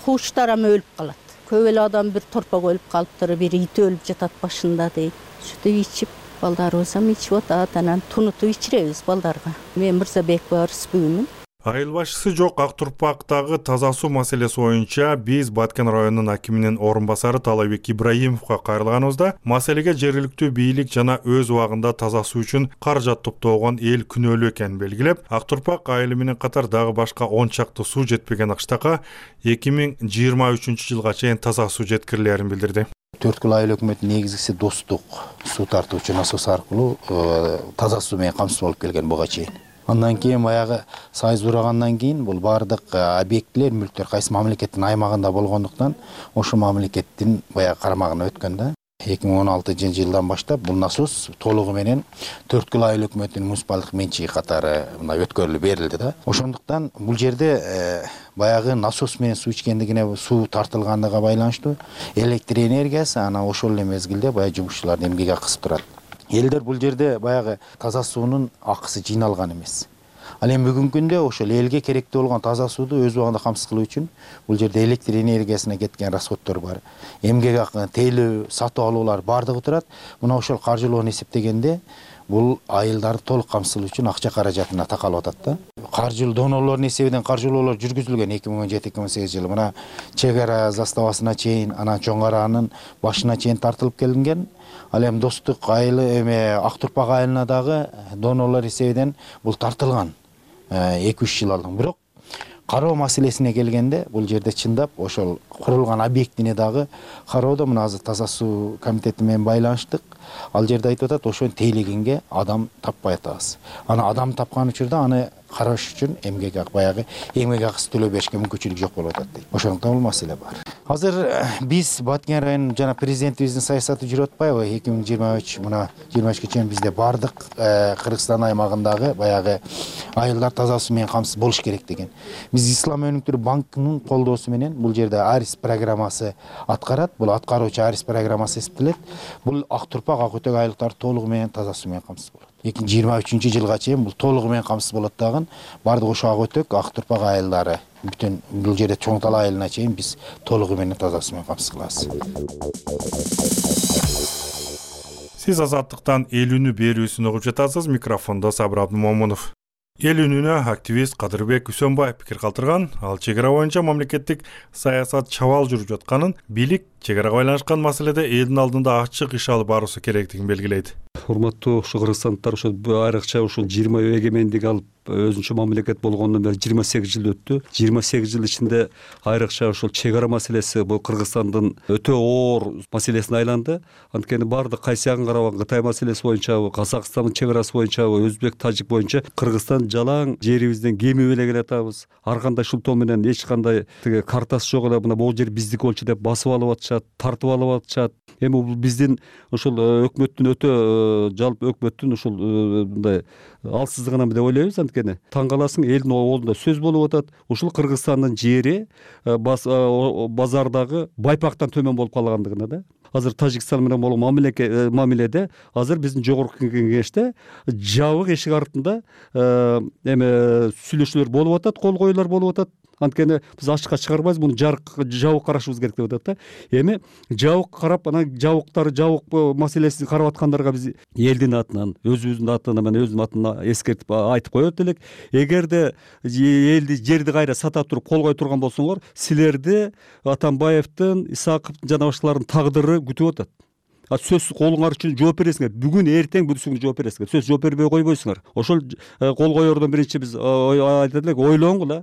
куштар өлүп калат. Көп эле адам бир торпок өлүп калыптыр, бир ит өлүп жатат башында дейт. Шуну ичип, балдарыбыз ham ичип атат, анан тунутуп ичиребиз балдарга. Мен Мырзабекова Рыспүүмүн. Айыл башчысы жок Ак Турпактагы таза суу маселеси боюнча биз Баткен районунун акиминин орун басары Талайбек Ибраимовго кайрылганыбызда маселеге жергиликтүү бийлик жана өз убагында таза суу үчүн каражат топтогон эл күнөөлүү экенин белгилеп, Ак Турпак айылы менен катар дагы башка он чакты суу жетпеген Акштакка эки миң жыйырма үчүнчү жылга чейин таза суу жеткирилерин билдирди. Төрткүл айыл өкмөтүнүн негизгиси достук суу тартуучу насос аркылуу таза суу менен камсыз болуп келген буга чейин. Андан кийин баягы сайыз урагандан кийин бул бардык объектилер, мүлктөр кайсы мамлекеттин аймагында болгондуктан ошо мамлекеттин баягы карамагына өткөн да. эки миң он алтынчы жылдан баштап бул насос толугу менен Төрткүл айыл өкмөтүнүн муниципалдык менчиги катары мына өткөрүлүп берилди да. Ошондуктан бул жерде баягы насос менен суу ичкендигине, суу тартылгандыгына байланыштуу электр энергиясы анан ошол эле мезгилде баягы жумушчулардын эмгек акысы турат. Элдер бул жерде баягы таза суунун акысы жыйналган эмес. Ал эми бүгүнкү күндө ошол элге керектүү болгон таза сууду өз убагында камсыз кылуу үчүн бул жерде электр энергиясына кеткен расходдор бар. Эмгек акы, тейлөө, сатып алуулар бардыгы турат. Мына ошол каржылоону эсептегенде бул айылдарды толук камсыз кылуу үчүн акча каражатына такалып атат да. Каржылоо донорлордун эсебинен каржылоолор жүргүзүлгөн эки миң он жети эки миң он сегиз жылы. Мына Чек ара заставасына чейин, анан Чоң Аранын башына чейин тартылып келинген. Ал эми достук айылы эме Ак Турпак айылына дагы донорлор эсебинен бул тартылган эки үч жыл алдын. Бирок кароо маселесине келгенде бул жерде чындап ошол курулган объектине дагы кароодо мына азыр таза суу комитети менен байланыштык. Ал жерде айтып атат, ошону тейлегенге адам таппай атабыз. Аны адам тапкан учурда аны караш үчүн эмгек акы баягы эмгек акысы төлөп беришке мүмкүнчүлүк жок болуп атат дейт. Ошондуктан бул маселе бар. Азыр биз Баткен районунун жана президентибиздин саясаты жүрүп атпайбы? эки миң жыйырма үч мына жыйырма үчкө чейин бизде бардык Кыргызстан аймагындагы баягы айылдар таза суу менен камсыз болуш керек деген. Биз Ислам өнүктүрүү банкынын колдоосу менен бул жерде Арис программасы аткарат. Бул аткаруучу Арис программасы эсептелет. Бул Ак Турпак, Ак Өтөк айылдары толугу менен таза суу менен камсыз болот. эки миң жыйырма үчүнчү жылга чейин бул толугу менен камсыз болот дагы. Бардык ошо Ак Өтөк, Ак Турпак айылдары бүтүн бул жерде Чоң Тала айылына чейин биз толугу менен таза суу менен камсыз кылабыз. Сиз Азаттыктан эл үнү берүүсүн угуп жатасыз. Микрофондо Сабыр Абдымомунов. Эл үнүнө активист Кадырбек Үсөнбаев пикир калтырган. Ал чек ара боюнча мамлекеттик саясат чабал жүрүп жатканын, бийлик чек арага байланышкан маселеде элдин алдында ачык иш алып баруусу керектигин белгилейт. Урматтуу ушу кыргызстандыктар, ошо айрыкча ушул жыйырма эгемендик алып өзүнчө мамлекет болгондон бери жыйырма сегиз жыл өттү. жыйырма сегиз жыл ичинде айрыкча ушул чек ара маселеси бул Кыргызстандын өтө оор маселесине айланды. Анткени бардык кайсы жагын карабаган, Кытай маселеси боюнча, Казакстандын чек арасы боюнча, Өзбек, Тажик боюнча Кыргызстан жалаң жерибизден кемип эле келатабыз. Ар кандай шултоо менен эч кандай тиги картасы жок эле мына бул жер биздики болчу деп басып алып атышат, тартып алып атышат. Эми бул биздин ошол өкмөттүн өтө жалпы өкмөттүн ушул мындай алсыздыгынан деп ойлойбуз. анткени таң каласың, элдин оолунда сөз болуп атат. Ушул Кыргызстандын жери базардагы байпактан төмөн болуп калгандыгына да. Азыр Тажикстан менен болгон мамиледе азыр биздин жогорку кеңеште жабык эшик артында эме сүйлөшүүлөр болуп атат, кол коюулар болуп атат. Анткени биз ачыкка чыгарбайбыз, муну жарык жабык карашыбыз керек деп атат да. Эми жабык карап, анан жабыктар жабык маселесин карап аткандарга биз элдин атынан, өзүбүздүн атынан менен өзүнүн атынан эскертип айтып коет элек. Эгерде элди жерди кайра сата туруп кол кое турган болсоңор, силерди Атамбаевдин, Исаковдун жана башкалардын тагдыры күтүп атат. А сөзсүз колуңар үчүн жооп бересиңер. Бүгүн эртең бүтүсүң жооп бересиңер. Сөз жооп бербей койбойсуңар. Ошол кол коердон биринчи биз айтат элек, ойлоңгула.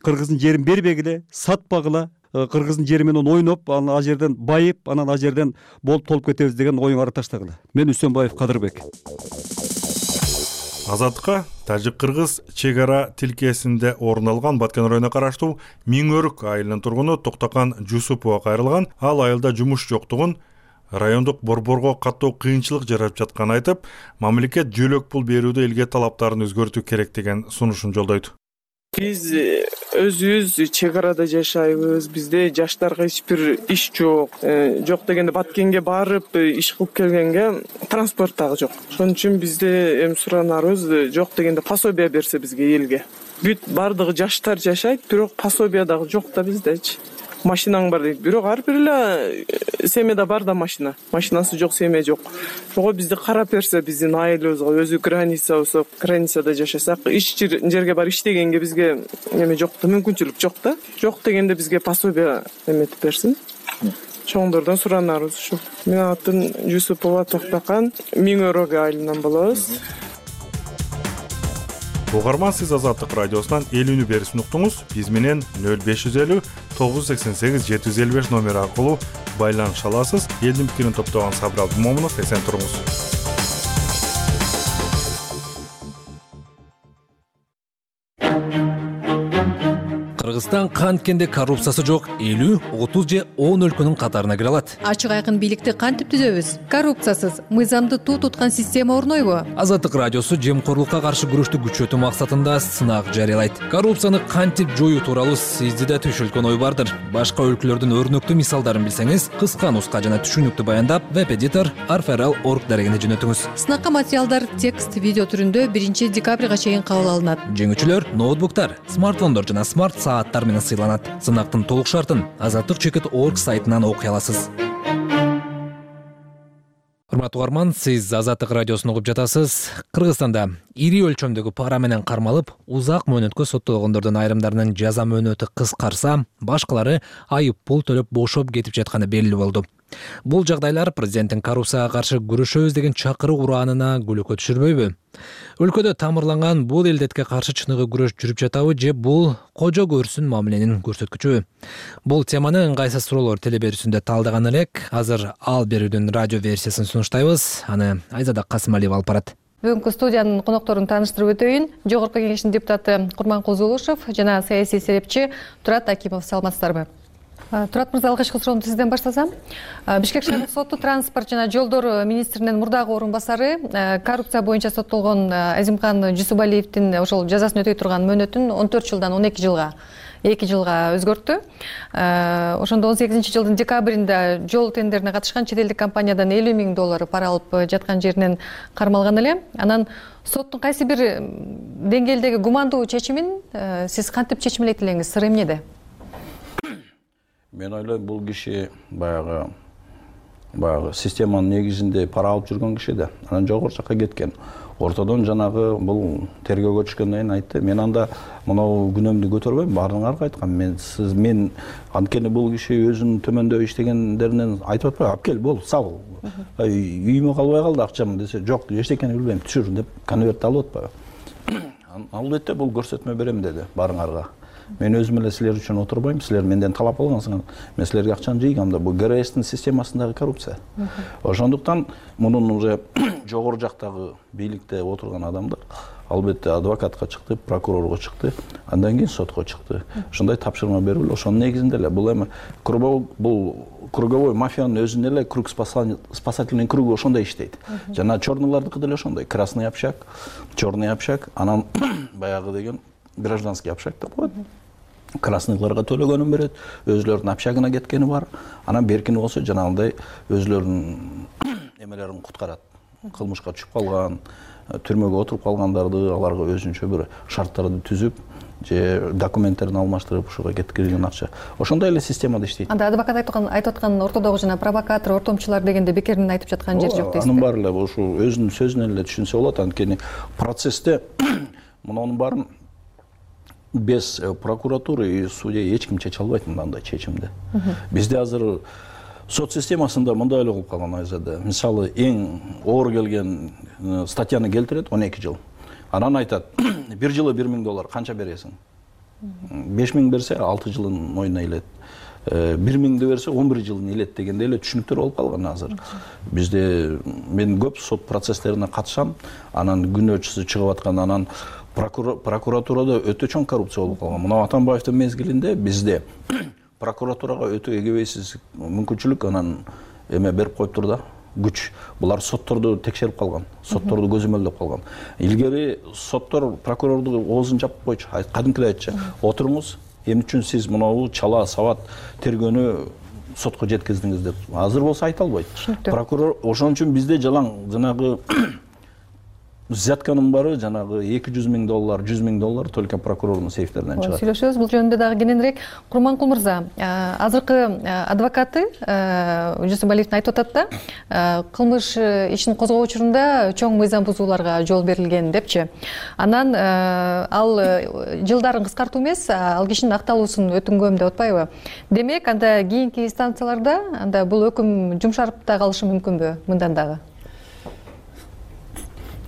Кыргыздын жерин бербегиле, сатпагыла. Кыргыздын жери менен ойноп, анан ал жерден байып, анан ал жерден болуп толуп кетебиз деген оюңарды таштагыла. Мен Үсөнбаев Кадырбек. Азаттыкка тажик-кыргыз чек ара тилкесинде орун алган Баткен районуна караштуу Миң-Өрүк айылынын тургуну Токтокан Жусупова кайрылган. Ал айылда жумуш жоктугун, райондук борборго каттуу кыйынчылык жарап жатканын айтып, мамлекет жөлөк пул берүүдө элге талаптарын өзгөртүү керек деген сунушун жолдойт. Биз өзүбүз чек арада жашайбыз. Бизде жаштарга эч бир иш жок. Жок дегенде Баткенге барып иш кылып келгенге транспорт дагы жок. Ошон үчүн бизде эми суранарыбыз, жок дегенде пособие берсе бизге элге. Бүт бардыгы жаштар жашайт, бирок пособие дагы жок да биздечи. Машинаң бар дейт. Бирок ар бир эле семьяда бар да машина. Машинасы жок, семья жок. Ошого бизди карап берсе, биздин айылыбызга, өзү граница болсо, границада жашасак, иш жерге бар иштегенге бизге эме жок да, мүмкүнчүлүк жок да. Жок дегенде бизге пособие эметип берсин. Чоңдордон суранарыбыз ушу. Менин атым Жусупова Токтокан, Миң-Өрүк айылынан болобуз. Угарман, сиз Азаттык радиосунан эл үнү берүүсүн уктуңуз. Биз менен нөл беш жүз элүү тогуз жүз сексен сегиз жети жүз элүү беш номери аркылуу байланыша аласыз. Элдин пикирин топтогон Сабыр Абдымомунов, эсен туруңуз. Кыргызстан канткенде коррупциясы жок элүү, отуз же он өлкөнүн катарына кире алат. Ачык айкын бийликти кантип түзөбүз? Коррупциясыз, мыйзамды туу туткан система орнойбу? Азаттык радиосу жемкорлукка каршы күрөштү күчөтүү максатында сынак жарыялайт. Коррупцияны кантип жоюу тууралуу сизде да түшүлгөн ой бардыр. Башка өлкөлөрдүн өрнөктүү мисалдарын билсеңиз, кыска нуска жана түшүнүктүү баяндап, веб-эдитор арферал точка орг дарегине жөнөтүңүз. Сынакка материалдар текст, видео түрүндө биринчи декабрга чейин кабыл алынат. Жеңүүчүлөр ноутбуктар, смартфондор жана смарт сааттар менен сыйланат. Сынактын толук шартын азаттык чекит точка орг сайтынан окуй аласыз. Урматтуу угарман, сиз Азаттык радиосун угуп жатасыз. Кыргызстанда ири өлчөмдөгү пара менен кармалып, узак мөөнөткө соттолгондордун айрымдарынын жаза мөөнөтү кыскарса, башкалары айып пул төлөп бошоп кетип жатканы белгилүү болду. Бул жагдайлар президенттин коррупцияга каршы күрөшөбүз деген чакыруу ураанына күлөкө түшүрбөйбү? Өлкөдө тамырланган бул элдетке каршы чыныгы күрөш жүрүп жатабы же бул кожо көрсүн мамиленин көрсөткүчүбү? Бул теманы ыңгайсыз суроолор телеберүүсүндө талдаган элек. Азыр ал берүүдүн радио версиясын сунуштайбыз. Аны Айзада Касымалиева алып барат. Бүгүнкү студиянын конокторун тааныштырып өтөйүн. Жогорку кеңештин депутаты Курманкул Зулушев жана саясий серепчи Турат Акимов. Саламатсыздарбы? Турат мырза, алгачкы суроомду сизден баштасам. Бишкек шаардык соту транспорт жана жолдор министринин мурдагы орун басары коррупция боюнча соттолгон Азимкан Жусупалиевдин ошол жазасын өтөй турган мөөнөтүн он төрт жылдан он эки жылга эки жылга өзгөрттү. Ошондо он сегизинчи жылдын декабринде жол тендерине катышкан чет элдик компаниядан элүү миң доллар пара алып жаткан жеринен кармалган эле. Анан соттун кайсы бир деңгээлдеги гумандуу чечимин сиз кантип чечмелейт элеңиз? Сыры эмнеде? Мен ойлойм, бул киши баягы баягы системанын негизинде пара алып жүргөн киши да. Анан жогору жакка кеткен. Ортодон жанагы бул тергөөгө түшкөндөн кийин айтты. Мен анда мынау күнөөмдү көтөрбөйм, баарыңарга айткам. Мен сиз мен анткени бул киши өзүнүн төмөндө иштегендеринен айтып атпайбы? Алып кел, бол, сал. Үйүмө калбай калды акчам десе, жок, эчтекени билбейм, түшүр деп конвертти алып атпайбы? Ал бетте бул көрсөтмө берем деди баарыңарга. Мен өзүм эле силер үчүн отурбайм, силер менден талап алгансыңар. Мен силерге акчаны жыйгам да, бул ГРСтин системасындагы коррупция. Ошондуктан мунун уже жогору жактагы бийликте отурган адамдар албетте адвокатка чыкты, прокурорго чыкты, андан кийин сотко чыкты. Ушундай тапшырма берилип, ошонун негизинде эле бул эми бул круговой мафиянын өзүнүн эле круг спасательный кругу ошондой иштейт. Жана черныйлардыкы деле ошондой. Красный общак, черный общак, анан баягы деген гражданский общак деп коет. Красныйларга төлөгөнүн берет, өзүлөрүнүн общагына кеткени бар. Анан беркини болсо жанагындай өзүлөрүнүн эмелерин куткарат. Кылмышка түшүп калган, түрмөгө отуруп калгандарды аларга өзүнчө бир шарттарды түзүп, же документтерин алмаштырып ушуга кеткирген акча. Ошондой эле системада иштейт. Анда адвокат айтып аткан ортодогу жана провокатор, ортомчулар дегенде бекеринен айтып жаткан жери жок дейсизби? Анын баары эле ушу өзүнүн сөзүнөн эле түшүнсө болот. Анткени процессте мунун баарын без прокуратуры и судья эч ким чече албайт мындай чечимди. Бизде азыр сот системасында мындай эле кылып калган Айзада. Мисалы эң оор келген статьяны келтирет он эки жыл. Анан айтат, бир жылы бир миң доллар канча бересиң? беш миң берсе алты жылын мойнуна илет. бир миңди берсе он бир жылын илет дегенде эле түшүнүктөр болуп калган азыр. Бизде мен көп сот процесстерине катышам, анан күнөөчүсү чыгып аткан, анан прокуратурада өтө чоң коррупция болуп калган. Мына Атамбаевдин мезгилинде бизде прокуратурага өтө эгебейсиз мүмкүнчүлүк анан эме берип коюптур да, күч. Булар сотторду текшерип калган, сотторду көзөмөлдөп калган. Илгери соттор прокурорду оозун жапып койчу, кадимкидей айтчу, отуруңуз, эмне үчүн сиз мынау чала сабат тергөөнү сотко жеткиздиңиз деп. Азыр болсо айта албайт. Прокурор ошон үчүн бизде жалаң жанагы взятканын баары жанагы эки жүз миң доллар, жүз миң доллар только прокурордун сейфтеринен чыгат. Сүйлөшөбүз бул жөнүндө дагы кененирээк. Курманкул мырза, азыркы адвокаты Жусупалиевдин айтып атат да, кылмыш ишин козгоо учурунда чоң мыйзам бузууларга жол берилген депчи. Анан ал жылдарын кыскартуу эмес, ал кишинин акталуусун өтүнгөм деп атпайбы? Демек, анда кийинки инстанцияларда анда бул өкүм жумшарып да калышы мүмкүнбү мындан дагы?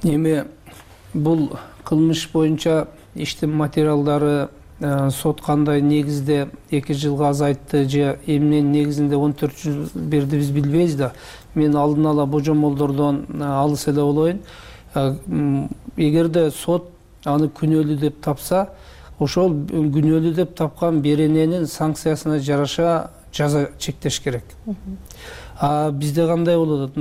Эми бул кылмыш боюнча иштин материалдары сот кандай негизде эки жылга азайтты же эмненин негизинде он төрт жыл берди биз билбейбиз да. Мен алдын ала божомолдордон алыс эле болоюн. Эгерде сот аны күнөөлүү деп тапса, ошол күнөөлүү деп тапкан берененин санкциясына жараша жаза чектеш керек. А бизде кандай болот?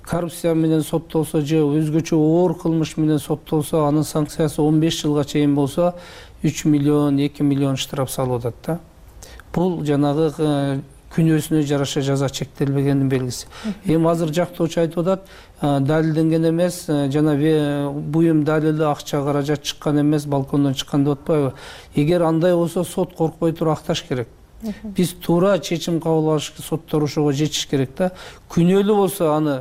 Коррупция менен соттолсо же өзгөчө оор кылмыш менен соттолсо, анын санкциясы он беш жылга чейин болсо үч миллион, эки миллион штраф салып атат да. Бул жанагы күнөөсүнө жараша жаза чектелбегендин белгиси. Эми азыр жактоочу айтып атат, далилденген эмес, жана буюм далили акча каражат чыккан эмес, балкондон чыккан деп атпайбы? Эгер андай болсо сот коркпой туруп акташ керек. Биз туура чечим кабыл алыш, соттор ошого жетиш керек да. Күнөөлүү болсо аны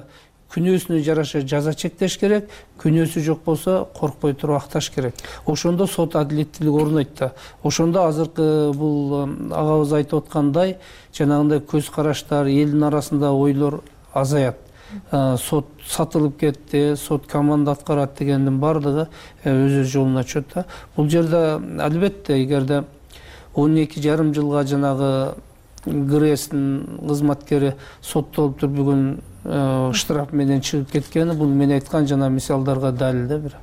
күнөөсүнө жараша жаза чектеш керек, күнөөсү жок болсо коркпой туруп акташ керек. Ошондо сот адилеттүүлүк орнойт да. Ошондо азыркы бул агабыз айтып аткандай, жанагындай көз караштар, элдин арасында ойлор азаят. Сот сатылып кетти, сот команда аткарат дегендин баардыгы өз жолуна чөт да. Бул жерде албетте эгерде он эки жарым жылга жанагы ГРЭСтин кызматкери соттолуп туруп бүгүн штраф менен чыгып кеткени, бул мен айткан жана мисалдарга далил да бир.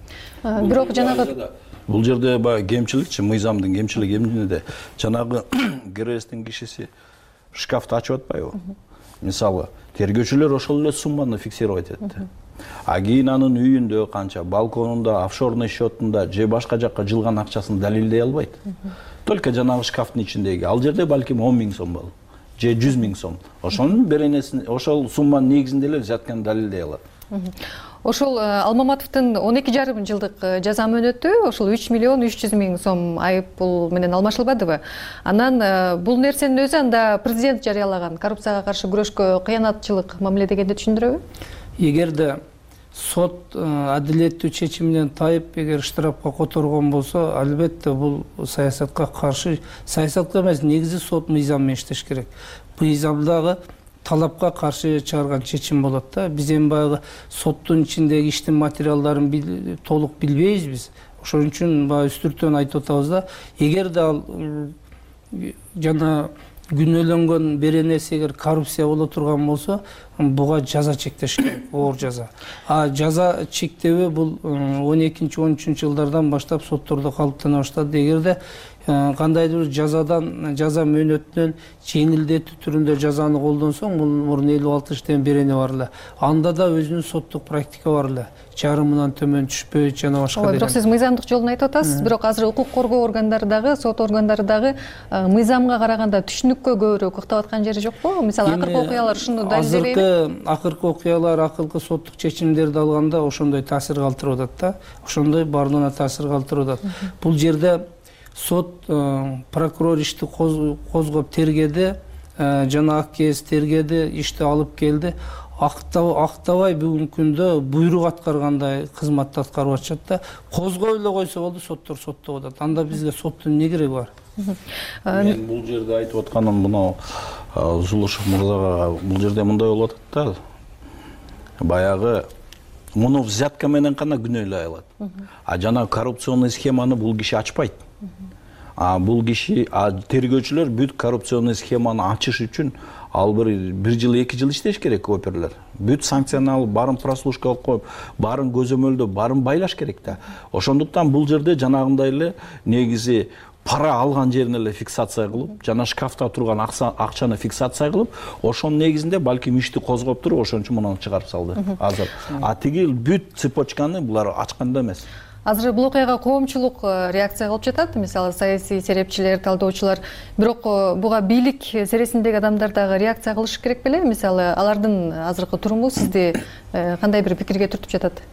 Бирок жанагы бул жерде баягы кемчиликчи, мыйзамдын кемчилиги эмнеде? Жанагы ГРЭСтин кишиси шкафты ачып атпайбы? Мисалы, тергөөчүлөр ошол эле сумманы фиксировать этти. А кийин анын үйүндө канча, балконунда, офшорный счетунда же башка жакка жылган акчасын далилдей албайт. Только жанагы шкафтын ичиндеги. Ал жерде балким он миң сом болот, же жүз миң сом. Ошонун беренесин, ошол сумманын негизинде эле жаткан далилдей алат. Ошол Алмаматовдун он эки жарым жылдык жаза мөөнөтү ошол үч миллион үч жүз миң сом айып пул менен алмашылбадыбы? Анан бул нерсенин өзү анда президент жарыялаган коррупцияга каршы күрөшкө кыянатчылык мамиле дегенди түшүндүрөбү? Эгерде сот адилеттүү чечиминен тайып, эгер штрафка которгон болсо, албетте бул саясатка каршы, саясатка эмес, негизи сот мыйзам менен иштеш керек. Мыйзамдагы талапка каршы чыгарган чечим болот да. Биз эми баягы соттун ичиндеги иштин материалдарын толук билбейбиз биз. Ошон үчүн баягы үстүртөн айтып атабыз да, эгерде ал жана күнөөлөнгөн беренеси эгер коррупция боло турган болсо буга жаза чектеш керек, оор жаза. А жаза чектебөө бул он экинчи он үчүнчү жылдардан баштап соттордо калыптана баштады. Эгерде кандайдыр бир жазадан жаза мөөнөтүнөн жеңилдетүү түрүндө жазаны колдонсоң, бул мурун элүү алты иштен берене бар эле. Анда да өзүнүн соттук практика бар эле. Жарымынан төмөн түшпөйт жана башка деген. Бирок сиз мыйзамдык жолун айтып атасыз, бирок азыр укук коргоо органдары дагы, сот органдары дагы мыйзамга караганда түшүнүккө көбүрөөк ыктап аткан жери жокпу? Мисалы акыркы окуялар ушуну далилдебейби? Азыркы акыркы окуялар, акыркы соттук чечимдерди алганда ошондой таасир калтырып атат да. Ошондой бардыгына таасир калтырып атат. Бул жерде сот прокурор ишти козгоп тергеди, жана АКС тергеди, ишти алып келди. Актабай бүгүнкү күндө буйрук аткаргандай кызматты аткарып атышат да. Козгой эле койсо болду, соттор соттоп атат. Анда бизге соттун эмне кереги бар? Мен бул жерде айтып атканым мына Зулушев мырзага, бул жерде мындай болуп атат да. Баягы муну взятка менен гана күнөөлөй алат. А жана коррупционный схеманы бул киши ачпайт. А бул киши тергөөчүлөр бүт коррупционный схеманы ачыш үчүн ал бир бир жыл эки жыл иштеш керек оперлер. Бүт санкцияны алып, барын прослушка алып коюп, барын көзөмөлдөп, барын байлаш керек да. Ошондуктан бул жерде жанагындай эле негизи пара алган жерин эле фиксация кылып, жана шкафта турган акчаны фиксация кылып, ошонун негизинде балким ишти козгоп туруп, ошон үчүн муну чыгарып салды азыр. А тиги бүт цепочканы булар ачканда эмес. Азыр бул окуяга коомчулук реакция кылып жатат, мисалы саясий серепчилер, талдоочулар. Бирок буга бийлик сересиндеги адамдар дагы реакция кылышы керек беле? Мисалы алардын азыркы туруму сизди кандай бир пикирге түртүп жатат?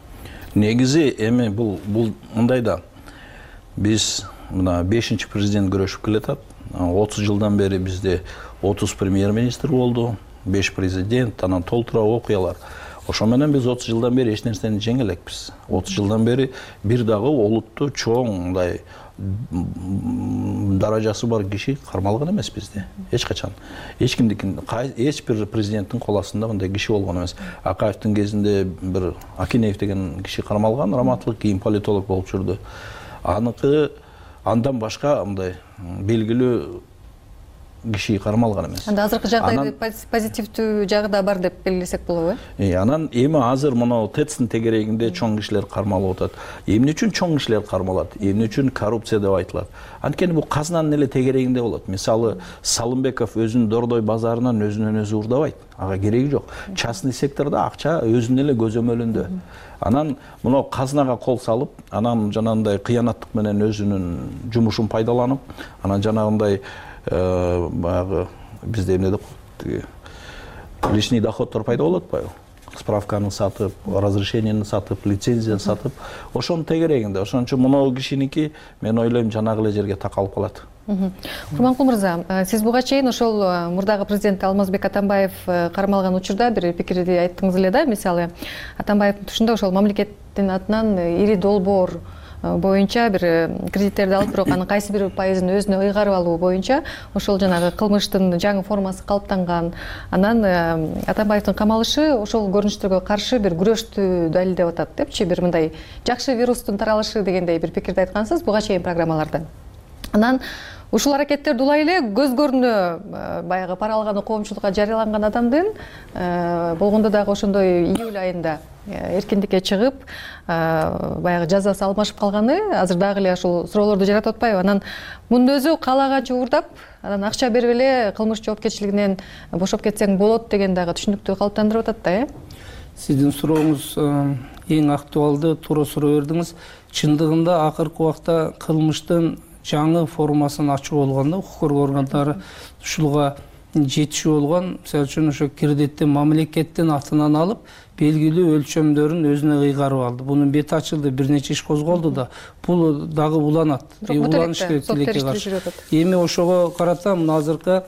Негизи эми бул бул мындай да. Биз мына бешинчи президент күрөшүп келатат. отуз жылдан бери бизде отуз премьер-министр болду, беш президент, анан толтура окуялар. Ошо менен биз отуз жылдан бери эч нерсени жеңе элекпиз. отуз жылдан бери бир дагы олуттуу чоң мындай даражасы бар киши кармалган эмес бизде. Эч качан. Эч кимдикин, эч бир президенттин кол астында мындай киши болгон эмес. Акаевдин кезинде бир Акинеев деген киши кармалган, Раматлык, кийин политолог болуп жүрдү. Аныкы андан башка мындай белгилүү киши кармалган эмес. Анда азыркы жагдайды позитивдүү жагы да бар деп белгилесек болобу, э? Э, анан эми азыр мына ТЭЦтин тегерегинде чоң кишилер кармалып атат. Эмне үчүн чоң кишилер кармалат? Эмне үчүн коррупция деп айтылат? Анткени бул казынанын эле тегерегинде болот. Мисалы, Салымбеков өзүнүн Дордой базарынан өзүнөн өзү урдабайт. Ага кереги жок. Частный сектордо акча өзүнүн эле көзөмөлүндө. Анан мына казынага кол салып, анан жанагындай кыянаттык менен өзүнүн жумушун пайдаланып, анан жанагындай баягы бизде эмне деп коет, личный доходдор пайда болот атпайбы? Справканы сатып, разрешениени сатып, лицензияны сатып, ошонун тегерегинде. Ошон үчүн мына кишиники мен ойлойм жанагы эле жерге такалып калат. Курманкул мырза, сиз буга чейин ошол мурдагы президент Алмазбек Атамбаев кармалган учурда бир пикирди айттыңыз эле да, мисалы Атамбаевдин тушунда ошол мамлекеттин атынан ири долбоор боюнча бир кредиттерди алып, бирок анын кайсы бир пайызын өзүнө ыйгарып алуу боюнча ошол жанагы кылмыштын жаңы формасы калыптанган. Анан Атамбаевдин камалышы ошол көрүнүштөргө каршы бир күрөштү далилдеп атат депчи, бир мындай жакшы вирустун таралышы дегендей бир пикирди айткансыз буга чейин программаларда. Анан ушул аракеттерди улай эле көз көрүнө баягы пара алганы коомчулукка жарыяланган адамдын болгондо дагы ошондой июль айында эркиндикке чыгып, баягы жазасы алмашып калганы азыр дагы эле ушул суроолорду жаратып атпайбы? Анан мунун өзү каалаганча уурдап, анан акча берип эле кылмыш жоопкерчилигинен бошоп кетсең болот деген дагы түшүнүктү калыптандырып атат да, э? Сиздин сурооңуз эң актуалдуу, туура суроо бердиңиз. Чындыгында акыркы убакта кылмыштын жаңы формасын ачуу болгон да, укук коргоо органдары ушуга жетишүү болгон. Мисалы үчүн ошо кредитти мамлекеттин атынан алып, белгилүү өлчөмдөрүн өзүнө ыйгарып алды. Бунун бети ачылды, бир нече иш козголду да. Бул дагы уланат. Уланыш керек тилекке каршы. Эми ошого карата мына азыркы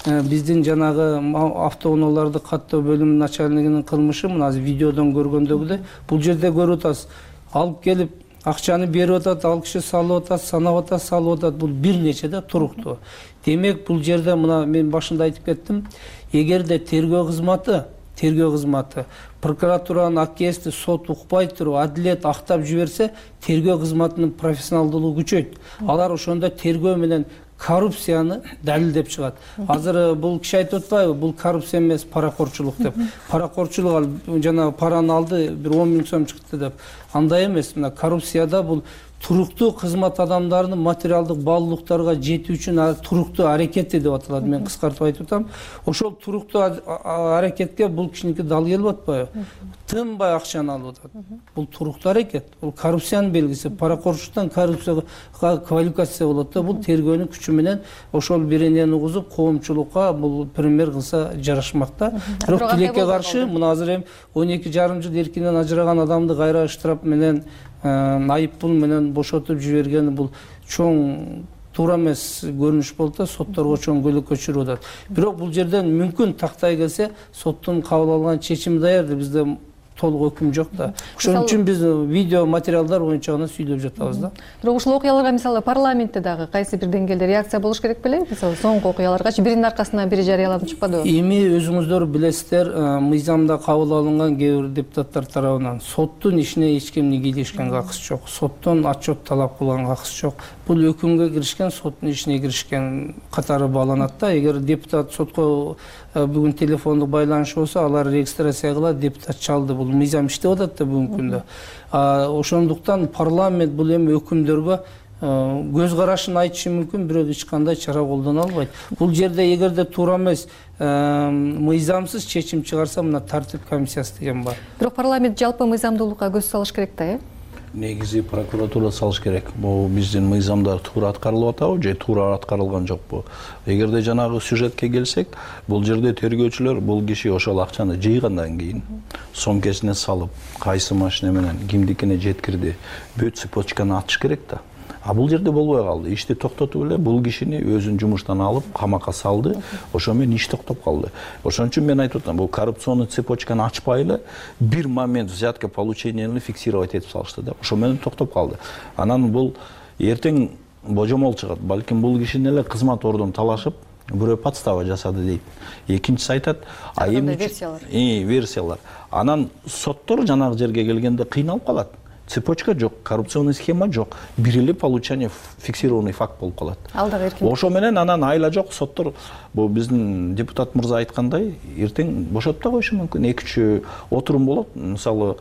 биздин жанагы автоунааларды каттоо бөлүмүнүн начальнигинин кылмышы мына азыр видеодон көргөндөгүдөй бул жерде көрүп атасыз. Алып келип акчаны берип атат, ал киши салып атат, санап атат, салып атат. Бул бир нече да туруктуу. Демек бул жерде мына мен башында айтып кеттим, эгерде тергөө кызматы, тергөө кызматы прокуратуранын АКСти сот укпай туруп, адилет актап жиберсе, тергөө кызматынын профессионалдуулугу күчөйт. Алар ошондо тергөө менен коррупцияны далилдеп чыгат. Азыр бул киши айтып атпайбы, бул коррупция эмес, паракорчулук деп. Паракорчулук ал жана параны алды, бир он миң сом чыкты деп. Андай эмес. Мына коррупцияда бул туруктуу кызмат адамдарынын материалдык баалуулуктарга жетүү үчүн туруктуу аракети деп аталат. Мен кыскартып айтып атам. Ошол туруктуу аракетке бул кишиники дал келип атпайбы? Тынбай акчаны алып атат. Бул туруктуу аракет. Бул коррупциянын белгиси. Паракорчулуктан коррупцияга квалификация болот да. Бул тергөөнүн күчү менен ошол беренени угузуп, коомчулукка бул пример кылса жарашмак да. Бирок тилекке каршы мына азыр эми он эки жарым жыл эркинен ажыраган адамды кайра штраф менен айыппул менен бошотуп жиберген бул чоң туура эмес көрүнүш болуп да, сотторго чоң көйгөй чыгырып атат. Бирок бул жерден мүмкүн тактай келсе, соттун кабыл алган чечими даяр, бизде толук өкүм жок да. Ошон үчүн биз видео материалдар боюнча гана сүйлөп жатабыз да. Бирок ушул окуяларга мисалы парламентте дагы кайсы бир деңгээлде реакция болуш керек беле? Мисалы соңку окуяларгачы биринин аркасынан бири жарыяланып чыкпадыбы? Эми өзүңүздөр билесиздер, мыйзамда кабыл алынган кээ бир депутаттар тарабынан соттун ишине эч кимдин кийлешкен какысы жок, соттон отчет талап кылган какысы жок. Бул өкүмгө киришкен, соттун ишине киришкен катары бааланат да. Эгер депутат сотко бүгүн телефондук байланыш болсо, алар регистрация кылат, депутат чалды. Бул мыйзам иштеп атат да бүгүнкү күндө. Ошондуктан парламент бул эми өкүмдөргө көз карашын айтышы мүмкүн, бирок эч кандай чара колдоно албайт. Бул жерде эгерде туура эмес, мыйзамсыз чечим чыгарса, мына тартип комиссиясы деген бар. Бирок парламент жалпы мыйзамдуулукка көз салыш керек да, э? Негизи прокуратура салыш керек. Бул биздин мыйзамдар туура аткарылып атабы же туура аткарылган жокпу? Эгерде жанагы сюжетке келсек, бул жерде тергөөчүлөр бул киши ошол акчаны жыйгандан кийин сомкесине салып, кайсы машина менен кимдикине жеткирди, бүт цепочканы ачыш керек да. А бул жерде болбой калды. Ишти токтотуп эле бул кишини өзүн жумуштан алып, камакка салды. Ошо менен иш токтоп калды. Ошон үчүн мен айтып атам, бул коррупционный цепочканы ачпай эле бир момент взятка получениени фиксировать этип салышты да. Ошо менен токтоп калды. Анан бул эртең божомол чыгат. Балким бул кишини эле кызмат ордун талашып, бирөө подстава жасады дейт. Экинчиси айтат, а эми версиялар. И версиялар. Анан соттор жанагы жерге келгенде кыйналып калат. Цепочка жок, коррупционный схема жок, бир эле получение фиксированный факт болуп калат. Ал дагы эркин. Ошо менен анан айла жок, соттор бул биздин депутат мырза айткандай, эртең бошотуп да коюшу мүмкүн. эки үч отурум болот, мисалы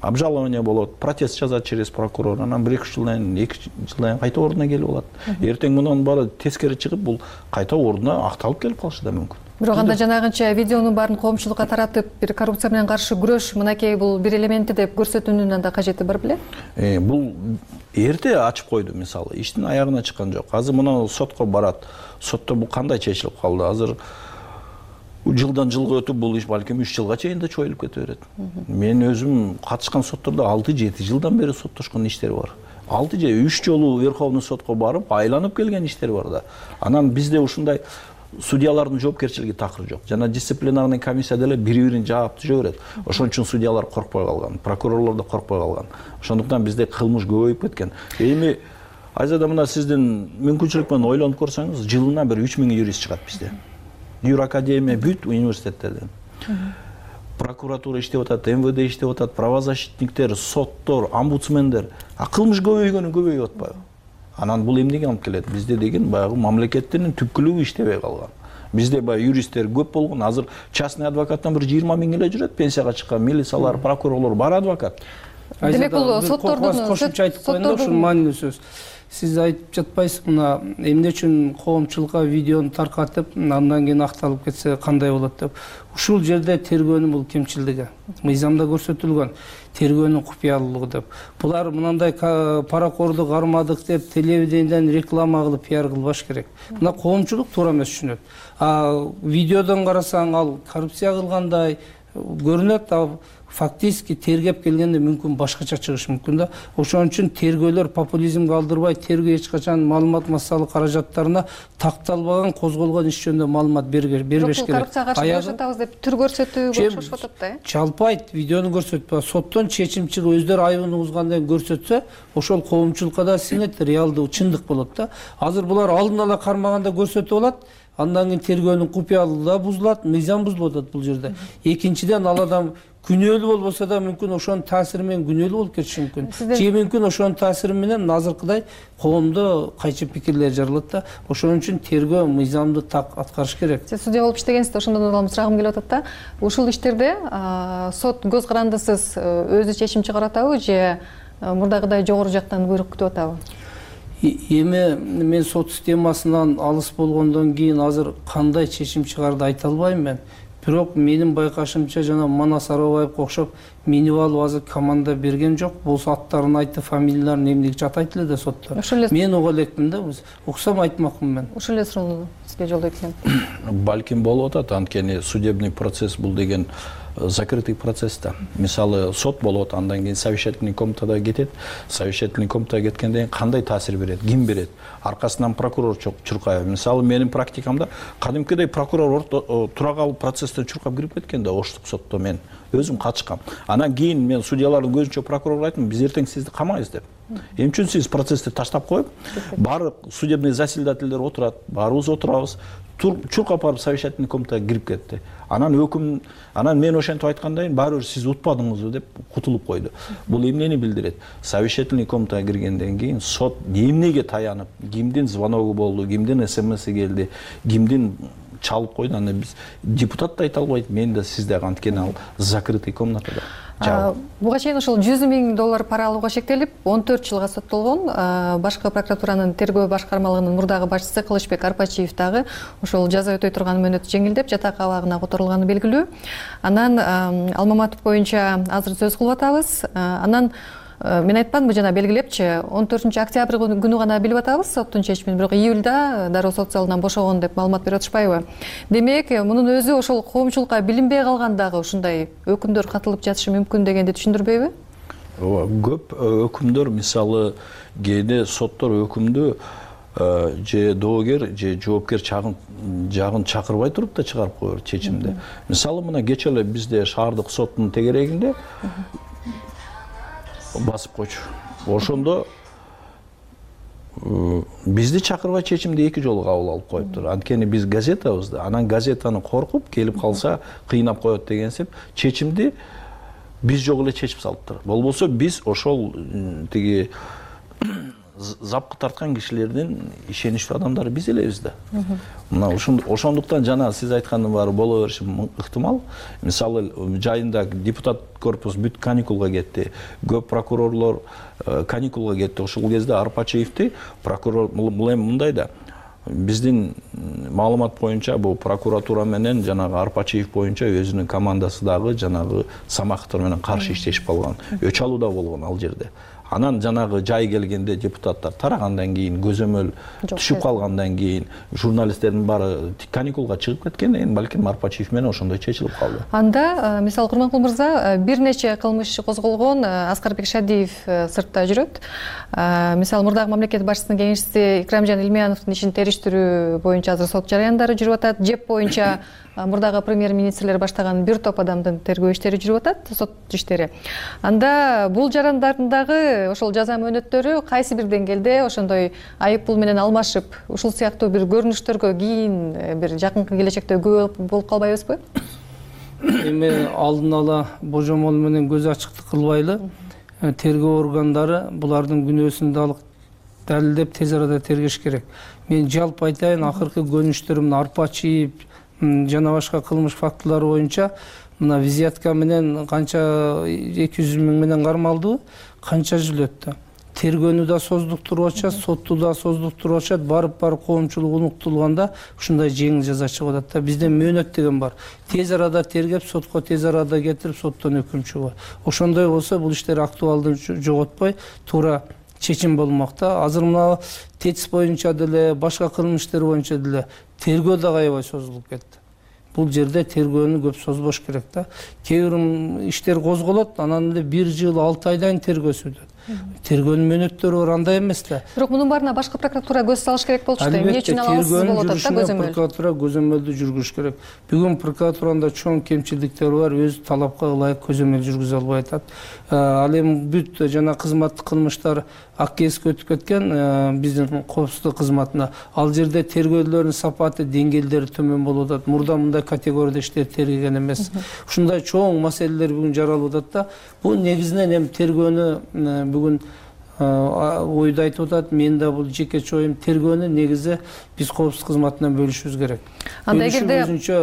обжалование болот, протест жазат через прокурор, анан бир эки жылдан эки жылдан кайта ордуна келип алат. Эртең мунун баары тескери чыгып, бул кайта ордуна акталып келип калышы да мүмкүн. Бирок анда жанагынча видеонун баарын коомчулукка таратып, бир коррупция менен каршы күрөш, мынакей бул бир элементи деп көрсөтүүнүн анда кажети бар беле? Э, бул эрте ачып койду, мисалы, иштин аягына чыккан жок. Азыр мына сотко барат. Сотто бул кандай чечилип калды? Азыр жылдан жылга өтүп бул иш балким үч жылга чейин да чоюлуп кете берет. Мен өзүм катышкан соттордо алты жети жылдан бери соттошкон иштер бар. алты же үч жолу Верховный сотко барып, айланып келген иштер бар да. Анан бизде ушундай судьялардын жоопкерчилиги такыр жок. Жана дисциплинарный комиссия деле бири-бирин жаап түзө берет. Ошон үчүн судьялар коркпой калган, прокурорлор да коркпой калган. Ошондуктан бизде кылмыш көбөйүп кеткен. Эми Айзада мына сиздин мүмкүнчүлүк менен ойлонуп көрсөңүз, жылына бир үч миң юрист чыгат бизде. Юракадемия бүт университеттерден. Прокуратура иштеп атат, эм вэ дэ иштеп атат, правозащитниктер, соттор, омбудсмендер. А кылмыш көбөйгөнү көбөйүп атпайбы? Анан бул эмнеге алып келет? Бизде деген баягы мамлекеттин түпкүлүгү иштебей калган. Бизде баягы юристтер көп болгон. Азыр частный адвокаттан бир жыйырма миң эле жүрөт, пенсияга чыккан милициялар, прокурорлор бар адвокат. Демек бул соттордун кошумча айтып коеюн да, ушул маанилүү сөз. Сиз айтып жатпайсыз, мына эмне үчүн коомчулукка видеону таркатып, андан кийин акталып кетсе кандай болот деп. Ушул жерде тергөөнүн бул кемчилдиги, мыйзамда көрсөтүлгөн тергөөнүн купуялуулугу деп. Булар мындай паракорду кармадык деп телевидениеден реклама кылып пиар кылбаш керек. Мына коомчулук туура эмес түшүнөт. А видеодон карасаң ал коррупция кылгандай көрүнөт, а фактически тергеп келгенде мүмкүн башкача чыгышы мүмкүн да. Ошон үчүн тергөөлөр популизмге алдырбай, тергөө эч качан маалымат массалык каражаттарына такталбаган, козголгон иш жөнүндө маалымат бербеш керек. Коррупцияга каршы күрөшөтөбүз деп түр көрсөтүүгө чогулуп атат да, э? Жалпы айт, видеону көрсөтпө, соттон чечим чыгып өздөрү айыбын угузгандан көрсөтсө, ошол коомчулукка да сиңет, реалдуу чындык болот да. Азыр булар алдын ала кармаганда көрсөтүп алат, андан кийин тергөөнүн купуялуулугу да бузулат, мыйзам бузулуп атат бул жерде. Экинчиден, ал адам күнөөлүү болбосо да мүмкүн ошонун таасири менен күнөөлүү болуп кетиши мүмкүн. Же мүмкүн ошонун таасири менен азыркыдай коомдо кайчы пикирлер жаралат да. Ошон үчүн тергөө мыйзамды так аткарыш керек. Сиз судья болуп иштегенсиз, ошондон улам сурагым келип атат да. Ушул иштерде сот көз карандысыз өзү чечим чыгарып атабы же мурдагыдай жогору жактан буйрук күтүп атабы? Эми мен сот системасынан алыс болгондон кийин азыр кандай чечим чыгарды айта албайм мен. Бирок менин байкашымча жана Манас Арабаевге окшоп минип алып азыр команда берген жок. Болсо аттарын айтып, фамилияларын эмнеге атайт эле да сотто. Мен уга элекмин да, уксам айтмакмын мен. Ошол эле суроону сизге жолдойт элем. Балким болуп атат, анткени судебный процесс бул деген закрытый процесс да. Мисалы сот болуп атат, андан кийин совещательный комнатада кетет. Совещательный комнатага кеткенден кийин кандай таасир берет, ким берет? Аркасынан прокурор чуркайбы. Мисалы менин практикамда кадимкидей прокурор тура калып процесстен чуркап кирип кеткен да, Оштук сотто мен өзүм катышкам. Анан кийин мен судьялардын көзүнчө прокурорго айттым, биз эртең сизди камайбыз деп. Эмне үчүн сиз процессти таштап коюп, баары судебный заседательдер отурат, баарыбыз отурабыз. Чуркап барып совещательный комнатага кирип кетти. Анан өкүм, анан мен ошентип айткандай, баары бир сиз утпадыңызбы деп кутулуп койду. Бул эмнени билдирет? Совещательный комнатага киргенден кийин сот эмнеге таянып, кимдин звоногу болду, кимдин смси келди, кимдин чалып койду, аны биз депутат да айта албайт, мен да сиз да, анткени ал закрытый комнатада. Буга чейин ошол жүз миң доллар пара алууга шектелип, он төрт жылга соттолгон башкы прокуратуранын тергөө башкармалыгынын мурдагы башчысы Кылычбек Арпачиев дагы ошол жаза өтөй турган мөөнөтү жеңилдеп, жатак абагына которулганы белгилүү. Анан Алмаматов боюнча азыр сөз кылып атабыз. Анан мен айтпадымбы жана белгилепчи, он төртүнчү октябрь күнү гана билип атабыз соттун чечимин, бирок июлда дароо сот залынан бошогон деп маалымат берип атышпайбы? Демек, мунун өзү ошол коомчулукка билинбей калган дагы ушундай өкүмдөр катылып жатышы мүмкүн дегенди түшүндүрбөйбү? Ооба, көп өкүмдөр, мисалы кээде соттор өкүмдү же доогер же жоопкер жагын чакырбай туруп да чыгарып коер чечимди. Мисалы мына кече эле бизде шаардык соттун тегерегинде басып койчу. Ошондо бизди чакырбай чечимди эки жолу кабыл алып коюптур. Анткени биз газетабыз да, анан газетаны коркуп келип калса кыйнап коет дегенсип чечимди биз жок эле чечип салыптыр. Болбосо биз ошол тиги запкы тарткан кишилердин ишеничтүү адамдары биз элебиз да. Мына ошондуктан жана сиз айткандын баары боло бериши ыктымал. Мисалы жайында депутат корпус бүт каникулга кетти. Көп прокурорлор каникулга кетти. Ошол кезде Арпачиевди прокурор бул эми мындай да. Биздин маалымат боюнча бул прокуратура менен жанагы Арпачиев боюнча өзүнүн командасы дагы жанагы Самаховдор менен каршы иштешип калган. Өч алуу да болгон ал жерде. Анан жанагы жай келгенде депутаттар тарагандан кийин, көзөмөл түшүп калгандан кийин, журналисттердин баары каникулга чыгып кеткенден кийин балким Арпачиев менен ошондой чечилип калды. Анда мисалы Курманкул мырза бир нече кылмыш козголгон, Аскарбек Шадиев сыртта жүрөт. Мисалы мурдагы мамлекет башчысынын кеңешчиси Икрамжан Илмияновдун ишин териштирүү боюнча азыр сот жарыяндары жүрүп атат. Жеп боюнча мурдагы премьер-министрлер баштаган бир топ адамдын тергөө иштери жүрүп атат, сот иштери. Анда бул жарандардын дагы ошол жаза мөөнөттөрү кайсы бир деңгээлде ошондой айып пул менен алмашып, ушул сыяктуу бир көрүнүштөргө кийин бир жакынкы келечекте күбө болуп калбайбызбы? Эми алдын ала божомол менен көз ачыктык кылбайлы, тергөө органдары булардын күнөөсүн далилдеп тез арада тергеш керек. Мен жалпы айтайын, акыркы көрүнүштөрүм Арпачиев жана башка кылмыш фактылары боюнча мына визитка менен канча эки жүз миң менен кармалды, канча жыл өттү. Тергөөнү да создуктуруп атышат, сотту да создуктуруп атышат, барып-барып коомчулук уnuктулганда ушундай жеңил жаза чыгып атат да. Бизде мөөнөт деген бар. Тез арада тергеп, сотко тез арада кетирип, соттон өкүм чыгат. Ошондой болсо бул иштер актуалдын жоготпой, туура чечим болмок да. Азыр мына ТЭЦ боюнча деле, башка кылмыштар боюнча деле тергөө да аябай созулуп кетти. Бул жерде тергөөнү көп созбош керек да. Кээ бир иштер козголот, анан эле бир жыл алты айдан тергөө сүрөт. тергөөнүн мөөнөттөрү бар, андай эмес да. Бирок мунун баарына башкы прокуратура көз салыш керек болчу да. Эмне үчүн алабыз болуп атат да көзөмөл. Прокуратура көзөмөлдү жүргүзүш керек. Бүгүн прокуратурада чоң кемчиликтер бар, өз талапка ылайык көзөмөл жүргүзө албай атат. Ал эми бүт жана кызматтык кылмыштар ак кесипке өтүп кеткен биздин коопсуздук кызматына. Ал жерде тергөөлөрдүн сапаты, деңгээлдери төмөн болуп атат. Мурда мындай категорияда иштер тергеген эмес. Ушундай чоң маселелер бүгүн жаралып атат да. Бул негизинен эми тергөөнү бүгүн ойду айтып атат. Мен да бул жекече оюм, тергөөнү негизи биз коопсуздук кызматынан бөлүшүбүз керек. Анда эгерде өзүнчө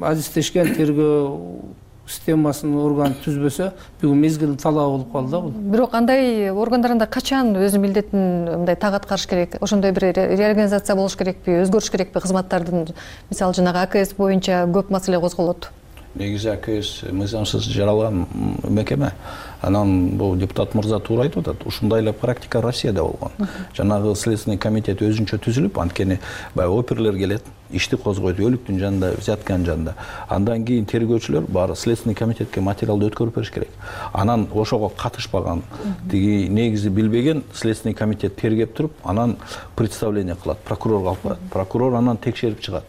адистешкен тергөө системасын орган түзбөсө, бүгүн мезгил талабы болуп калды да бул. Бирок андай органдарында качан өзүнүн милдетин мындай так аткарыш керек? Ошондой бир реорганизация болуш керекпи, өзгөрүш керекпи кызматтардын? Мисалы жанагы А К С боюнча көп маселе козголот. Негизи А К С мыйзамсыз жаралган мекеме. Анан бул депутат мырза туура айтып атат. Ушундай эле практика Россияда болгон. Жанагы следственный комитет өзүнчө түзүлүп, анткени баягы оперлер келет, ишти козгойт өлүктүн жанында, взятканын жанында. Андан кийин тергөөчүлөр баары следственный комитетке материалды өткөрүп бериш керек. Анан ошого катышпаган, тиги негизи билбеген следственный комитет тергеп туруп, анан представление кылат, прокурорго алып барат. Прокурор анан текшерип чыгат.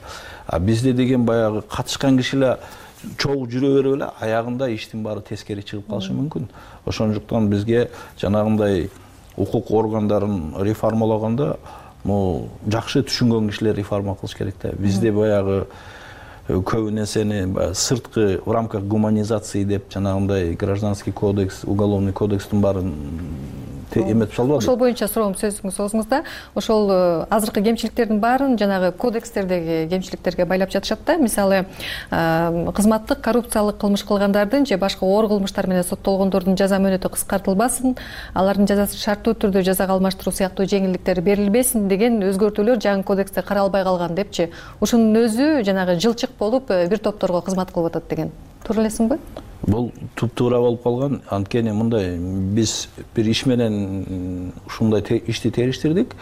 А бизде деген баягы катышкан кишилер чогуу жүрө берип эле аягында иштин баары тескери чыгып калышы мүмкүн. Ошондуктан бизге жанагындай укук органдарын реформалогондо могу жакшы түшүнгөн кишилер реформа кылыш керек да. Бизде баягы көбү нерсени сырткы в рамках гуманизации деп жанагындай гражданский кодекс, уголовный кодекстин баарын эметип салбады. Ошол боюнча суроом сөзүңүз соңуңузда. Ошол азыркы кемчиликтердин баарын жанагы кодекстердеги кемчиликтерге байлап жатышат да. Мисалы, кызматтык коррупциялык кылмыш кылгандардын же башка оор кылмыштар менен соттолгондордун жаза мөөнөтү кыскартылбасын, алардын жазасын шарттуу түрдө жазага алмаштыруу сыяктуу жеңилдиктер берилбесин деген өзгөртүүлөр жаңы кодексте каралбай калган депчи. Ушунун өзү жанагы жылчык болуп бир топторго кызмат кылып атат деген. Туура элесиңби? Бул туп-туура болуп калган. Анткени мындай биз бир иш менен ушундай ишти териштирдик.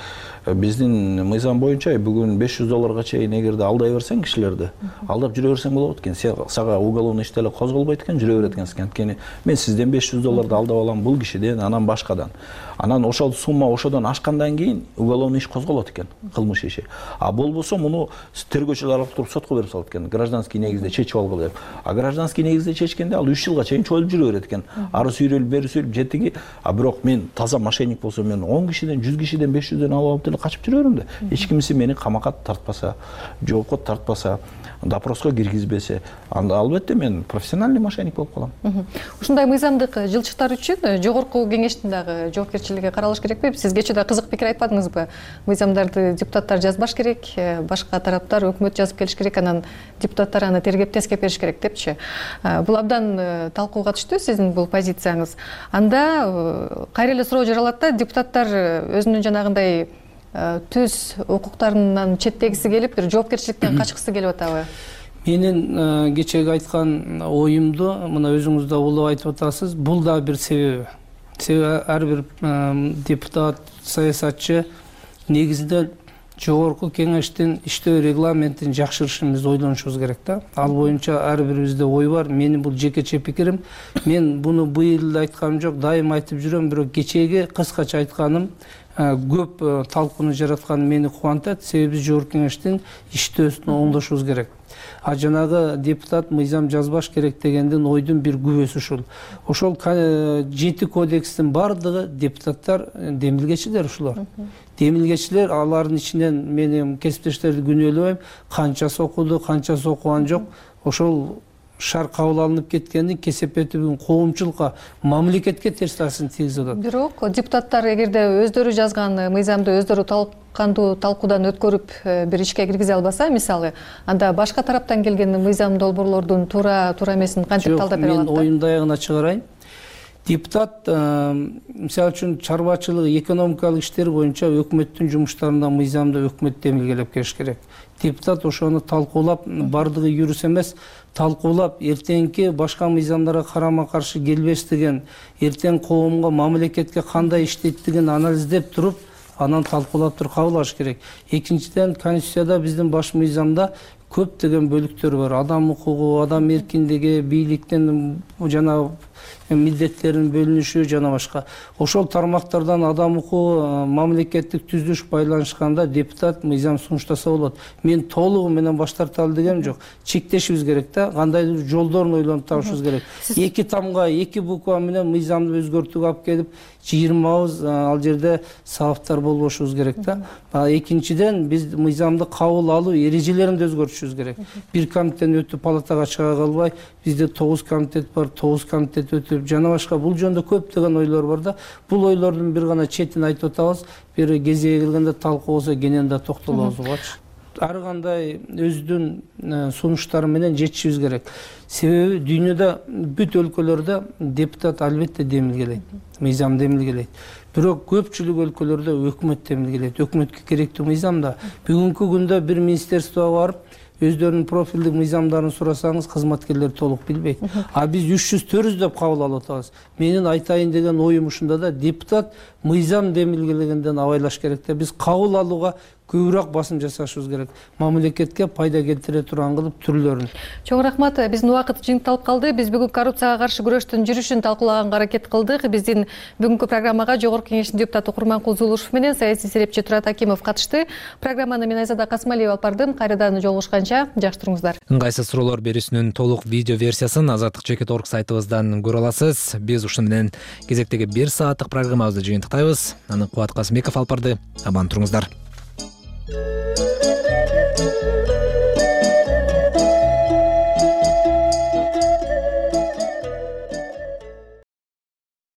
Биздин мыйзам боюнча бүгүн беш жүз долларга чейин эгерде алдай берсең кишилерди, алдап жүрө берсең болот экен. Сага уголовный иш деле козголбойт экен, жүрө берет экенсиң. Анткени мен сизден беш жүз долларды алдап алам, бул кишиден, анан башкадан. Анан ошол сумма ошодон ашкандан кийин уголовный иш козголот экен, кылмыш иши. А болбосо муну тергөөчүлөр алып туруп сотко берип салат экен, гражданский негизде чечип алгыла деп. А гражданский негизде чечкенде ал үч жылга чейин чоюлуп жүрө берет экен. Ары сүйрөлүп, бери сүйрөлүп жетиги. А бирок мен таза мошенник болсом, мен он кишиден, жүз кишиден, беш жүздөн алып алып деле качып жүрө берем да. Эч кимиси мени камакка тартпаса, жоопко тартпаса, допроско киргизбесе, анда албетте мен профессиональный мошенник болуп калам. Ушундай мыйзамдык жылчыктар үчүн жогорку кеңештин дагы жоопкерчилиги каралыш керекпи? Сиз кечээ да кызык пикир айтпадыңызбы? Мыйзамдарды депутаттар жазбаш керек, башка тараптар өкмөт жазып келиш керек, анан депутаттар аны тергеп тескеп бериш керек депчи. Бул абдан талкууга түштү сиздин бул позицияңыз. Анда кайра эле суроо жаралат да, депутаттар өзүнүн жанагындай түз укуктарынан четтегиси келип, бир жоопкерчиликтен качкысы келип атабы? Менин кечеги айткан оюмду мына өзүңүз да улуу айтып атасыз. Бул да бир себеби. Себеби ар бир депутат, саясатчы негизинен жогорку кеңештин иштөө регламентин жакшырышын биз ойлонушубуз керек да. Ал боюнча ар бирибизде ой бар. Менин бул жекече пикирим. Мен буну быйыл айтканым жок, дайым айтып жүрөм, бирок кечеги кыскача айтканым көп талкууну жаратканы мени кубантат. Себеби биз жогорку кеңештин иштөөсүн оңдошубуз керек. А жанагы депутат мыйзам жазбаш керек дегендин ойдун бир күбөсү ушул. Ошол жети кодекстин бардыгы депутаттар демилгечилер ушулар. Демилгечилер, алардын ичинен мен кесиптештерди күнөөлөбөйм, канчасы окуду, канчасы окуган жок. Ошол шаар кабыл алынып кеткендин кесепети бүгүн коомчулукка, мамлекетке терс таасирин тийгизип атат. Бирок депутаттар эгерде өздөрү жазган мыйзамды өздөрү талкандуу талкуудан өткөрүп бир ишке киргизе албаса, мисалы, анда башка тараптан келген мыйзам долбоорлордун туура туура эмесин кантип талдап бере алат? Мен оюмду аягына чыгарайын. Депутат мисалы үчүн чарбачылык, экономикалык иштер боюнча өкмөттүн жумуштарында мыйзамды өкмөт демилгелеп келиш керек. Депутат ошону талкуулап, бардыгы юрис эмес, талкуулап, эртеңки башка мыйзамдарга карама каршы келбестигин, эртең коомго, мамлекетке кандай иштейдигин анализдеп туруп, анан талкуулап туруп кабыл алыш керек. Экинчиден, Конституцияда биздин баш мыйзамда көптөгөн бөлүктөр бар. Адам укугу, адам эркиндиги, бийликтин жана милдеттерин бөлүнүшү жана башка. Ошол тармактардан адам укугу мамлекеттик түзүлүш байланышканда депутат мыйзам сунуштаса болот. Мен толугу менен баш тарталы дегем жок. Чектешибиз керек да, кандайдыр жолдорун ойлонуп табышыбыз керек. Эки тамга, эки буква менен мыйзамды өзгөртүүгө алып келип, жыйырмабыз ал жерде сабаптар болбошубуз керек да. Экинчиден биз мыйзамды кабыл алуу эрежелерин да өзгөртүшүбүз керек. Бир комитеттен өтүп палатага чыга калбай, бизде тогуз комитет бар, тогуз комитет өтүп жана башка бул жөнүндө көптөгөн ойлор бар да. Бул ойлордун бир гана четин айтып атабыз. Бир кезеги келгенде талкуу болсо кенен да токтолобуз угачы. Ар кандай өзүнүн сунуштары менен жетишибиз керек. Себеби дүйнөдө бүт өлкөлөрдө депутат албетте демилгелейт, мыйзам демилгелейт. Бирок көпчүлүк өлкөлөрдө өкмөт демилгелейт. Өкмөткө керектүү мыйзам да. Бүгүнкү күндө бир министерствого барып, өздөрүнүн профилдик мыйзамдарын сурасаңыз, кызматкерлер толук билбейт. А биз үч жүз төрт жүз деп кабыл алып атабыз. Менин айтайын деген оюм ушунда да, депутат мыйзам демилгелегенден абайлаш керек да. Биз кабыл алууга көбүрөөк басым жасашыбыз керек. Мамлекетке пайда келтире турган кылып түрлөрүн. Чоң рахмат. Биздин убакыт жыйынтылып калды. Биз бүгүн коррупцияга каршы күрөштүн жүрүшүн талкуулаганга аракет кылдык. Биздин бүгүнкү программага Жогорку Кеңештин депутаты Курманкул Зулушев менен саясий серепчи Турат Акимов катышты. Программаны мен Айзада Касмалиева алып бардым. Кайрадан жолугушканча жакшы туруңуздар. Ыңгайсыз суроолор берүүсүнүн толук видео версиясын азаттык чекит точка орг сайтыбыздан көрө аласыз. Биз ушуну менен кезектеги бир сааттык программабызды жыйынтыктайбыз. Аны Кубат Касымбеков алып барды. Аман туруңуздар.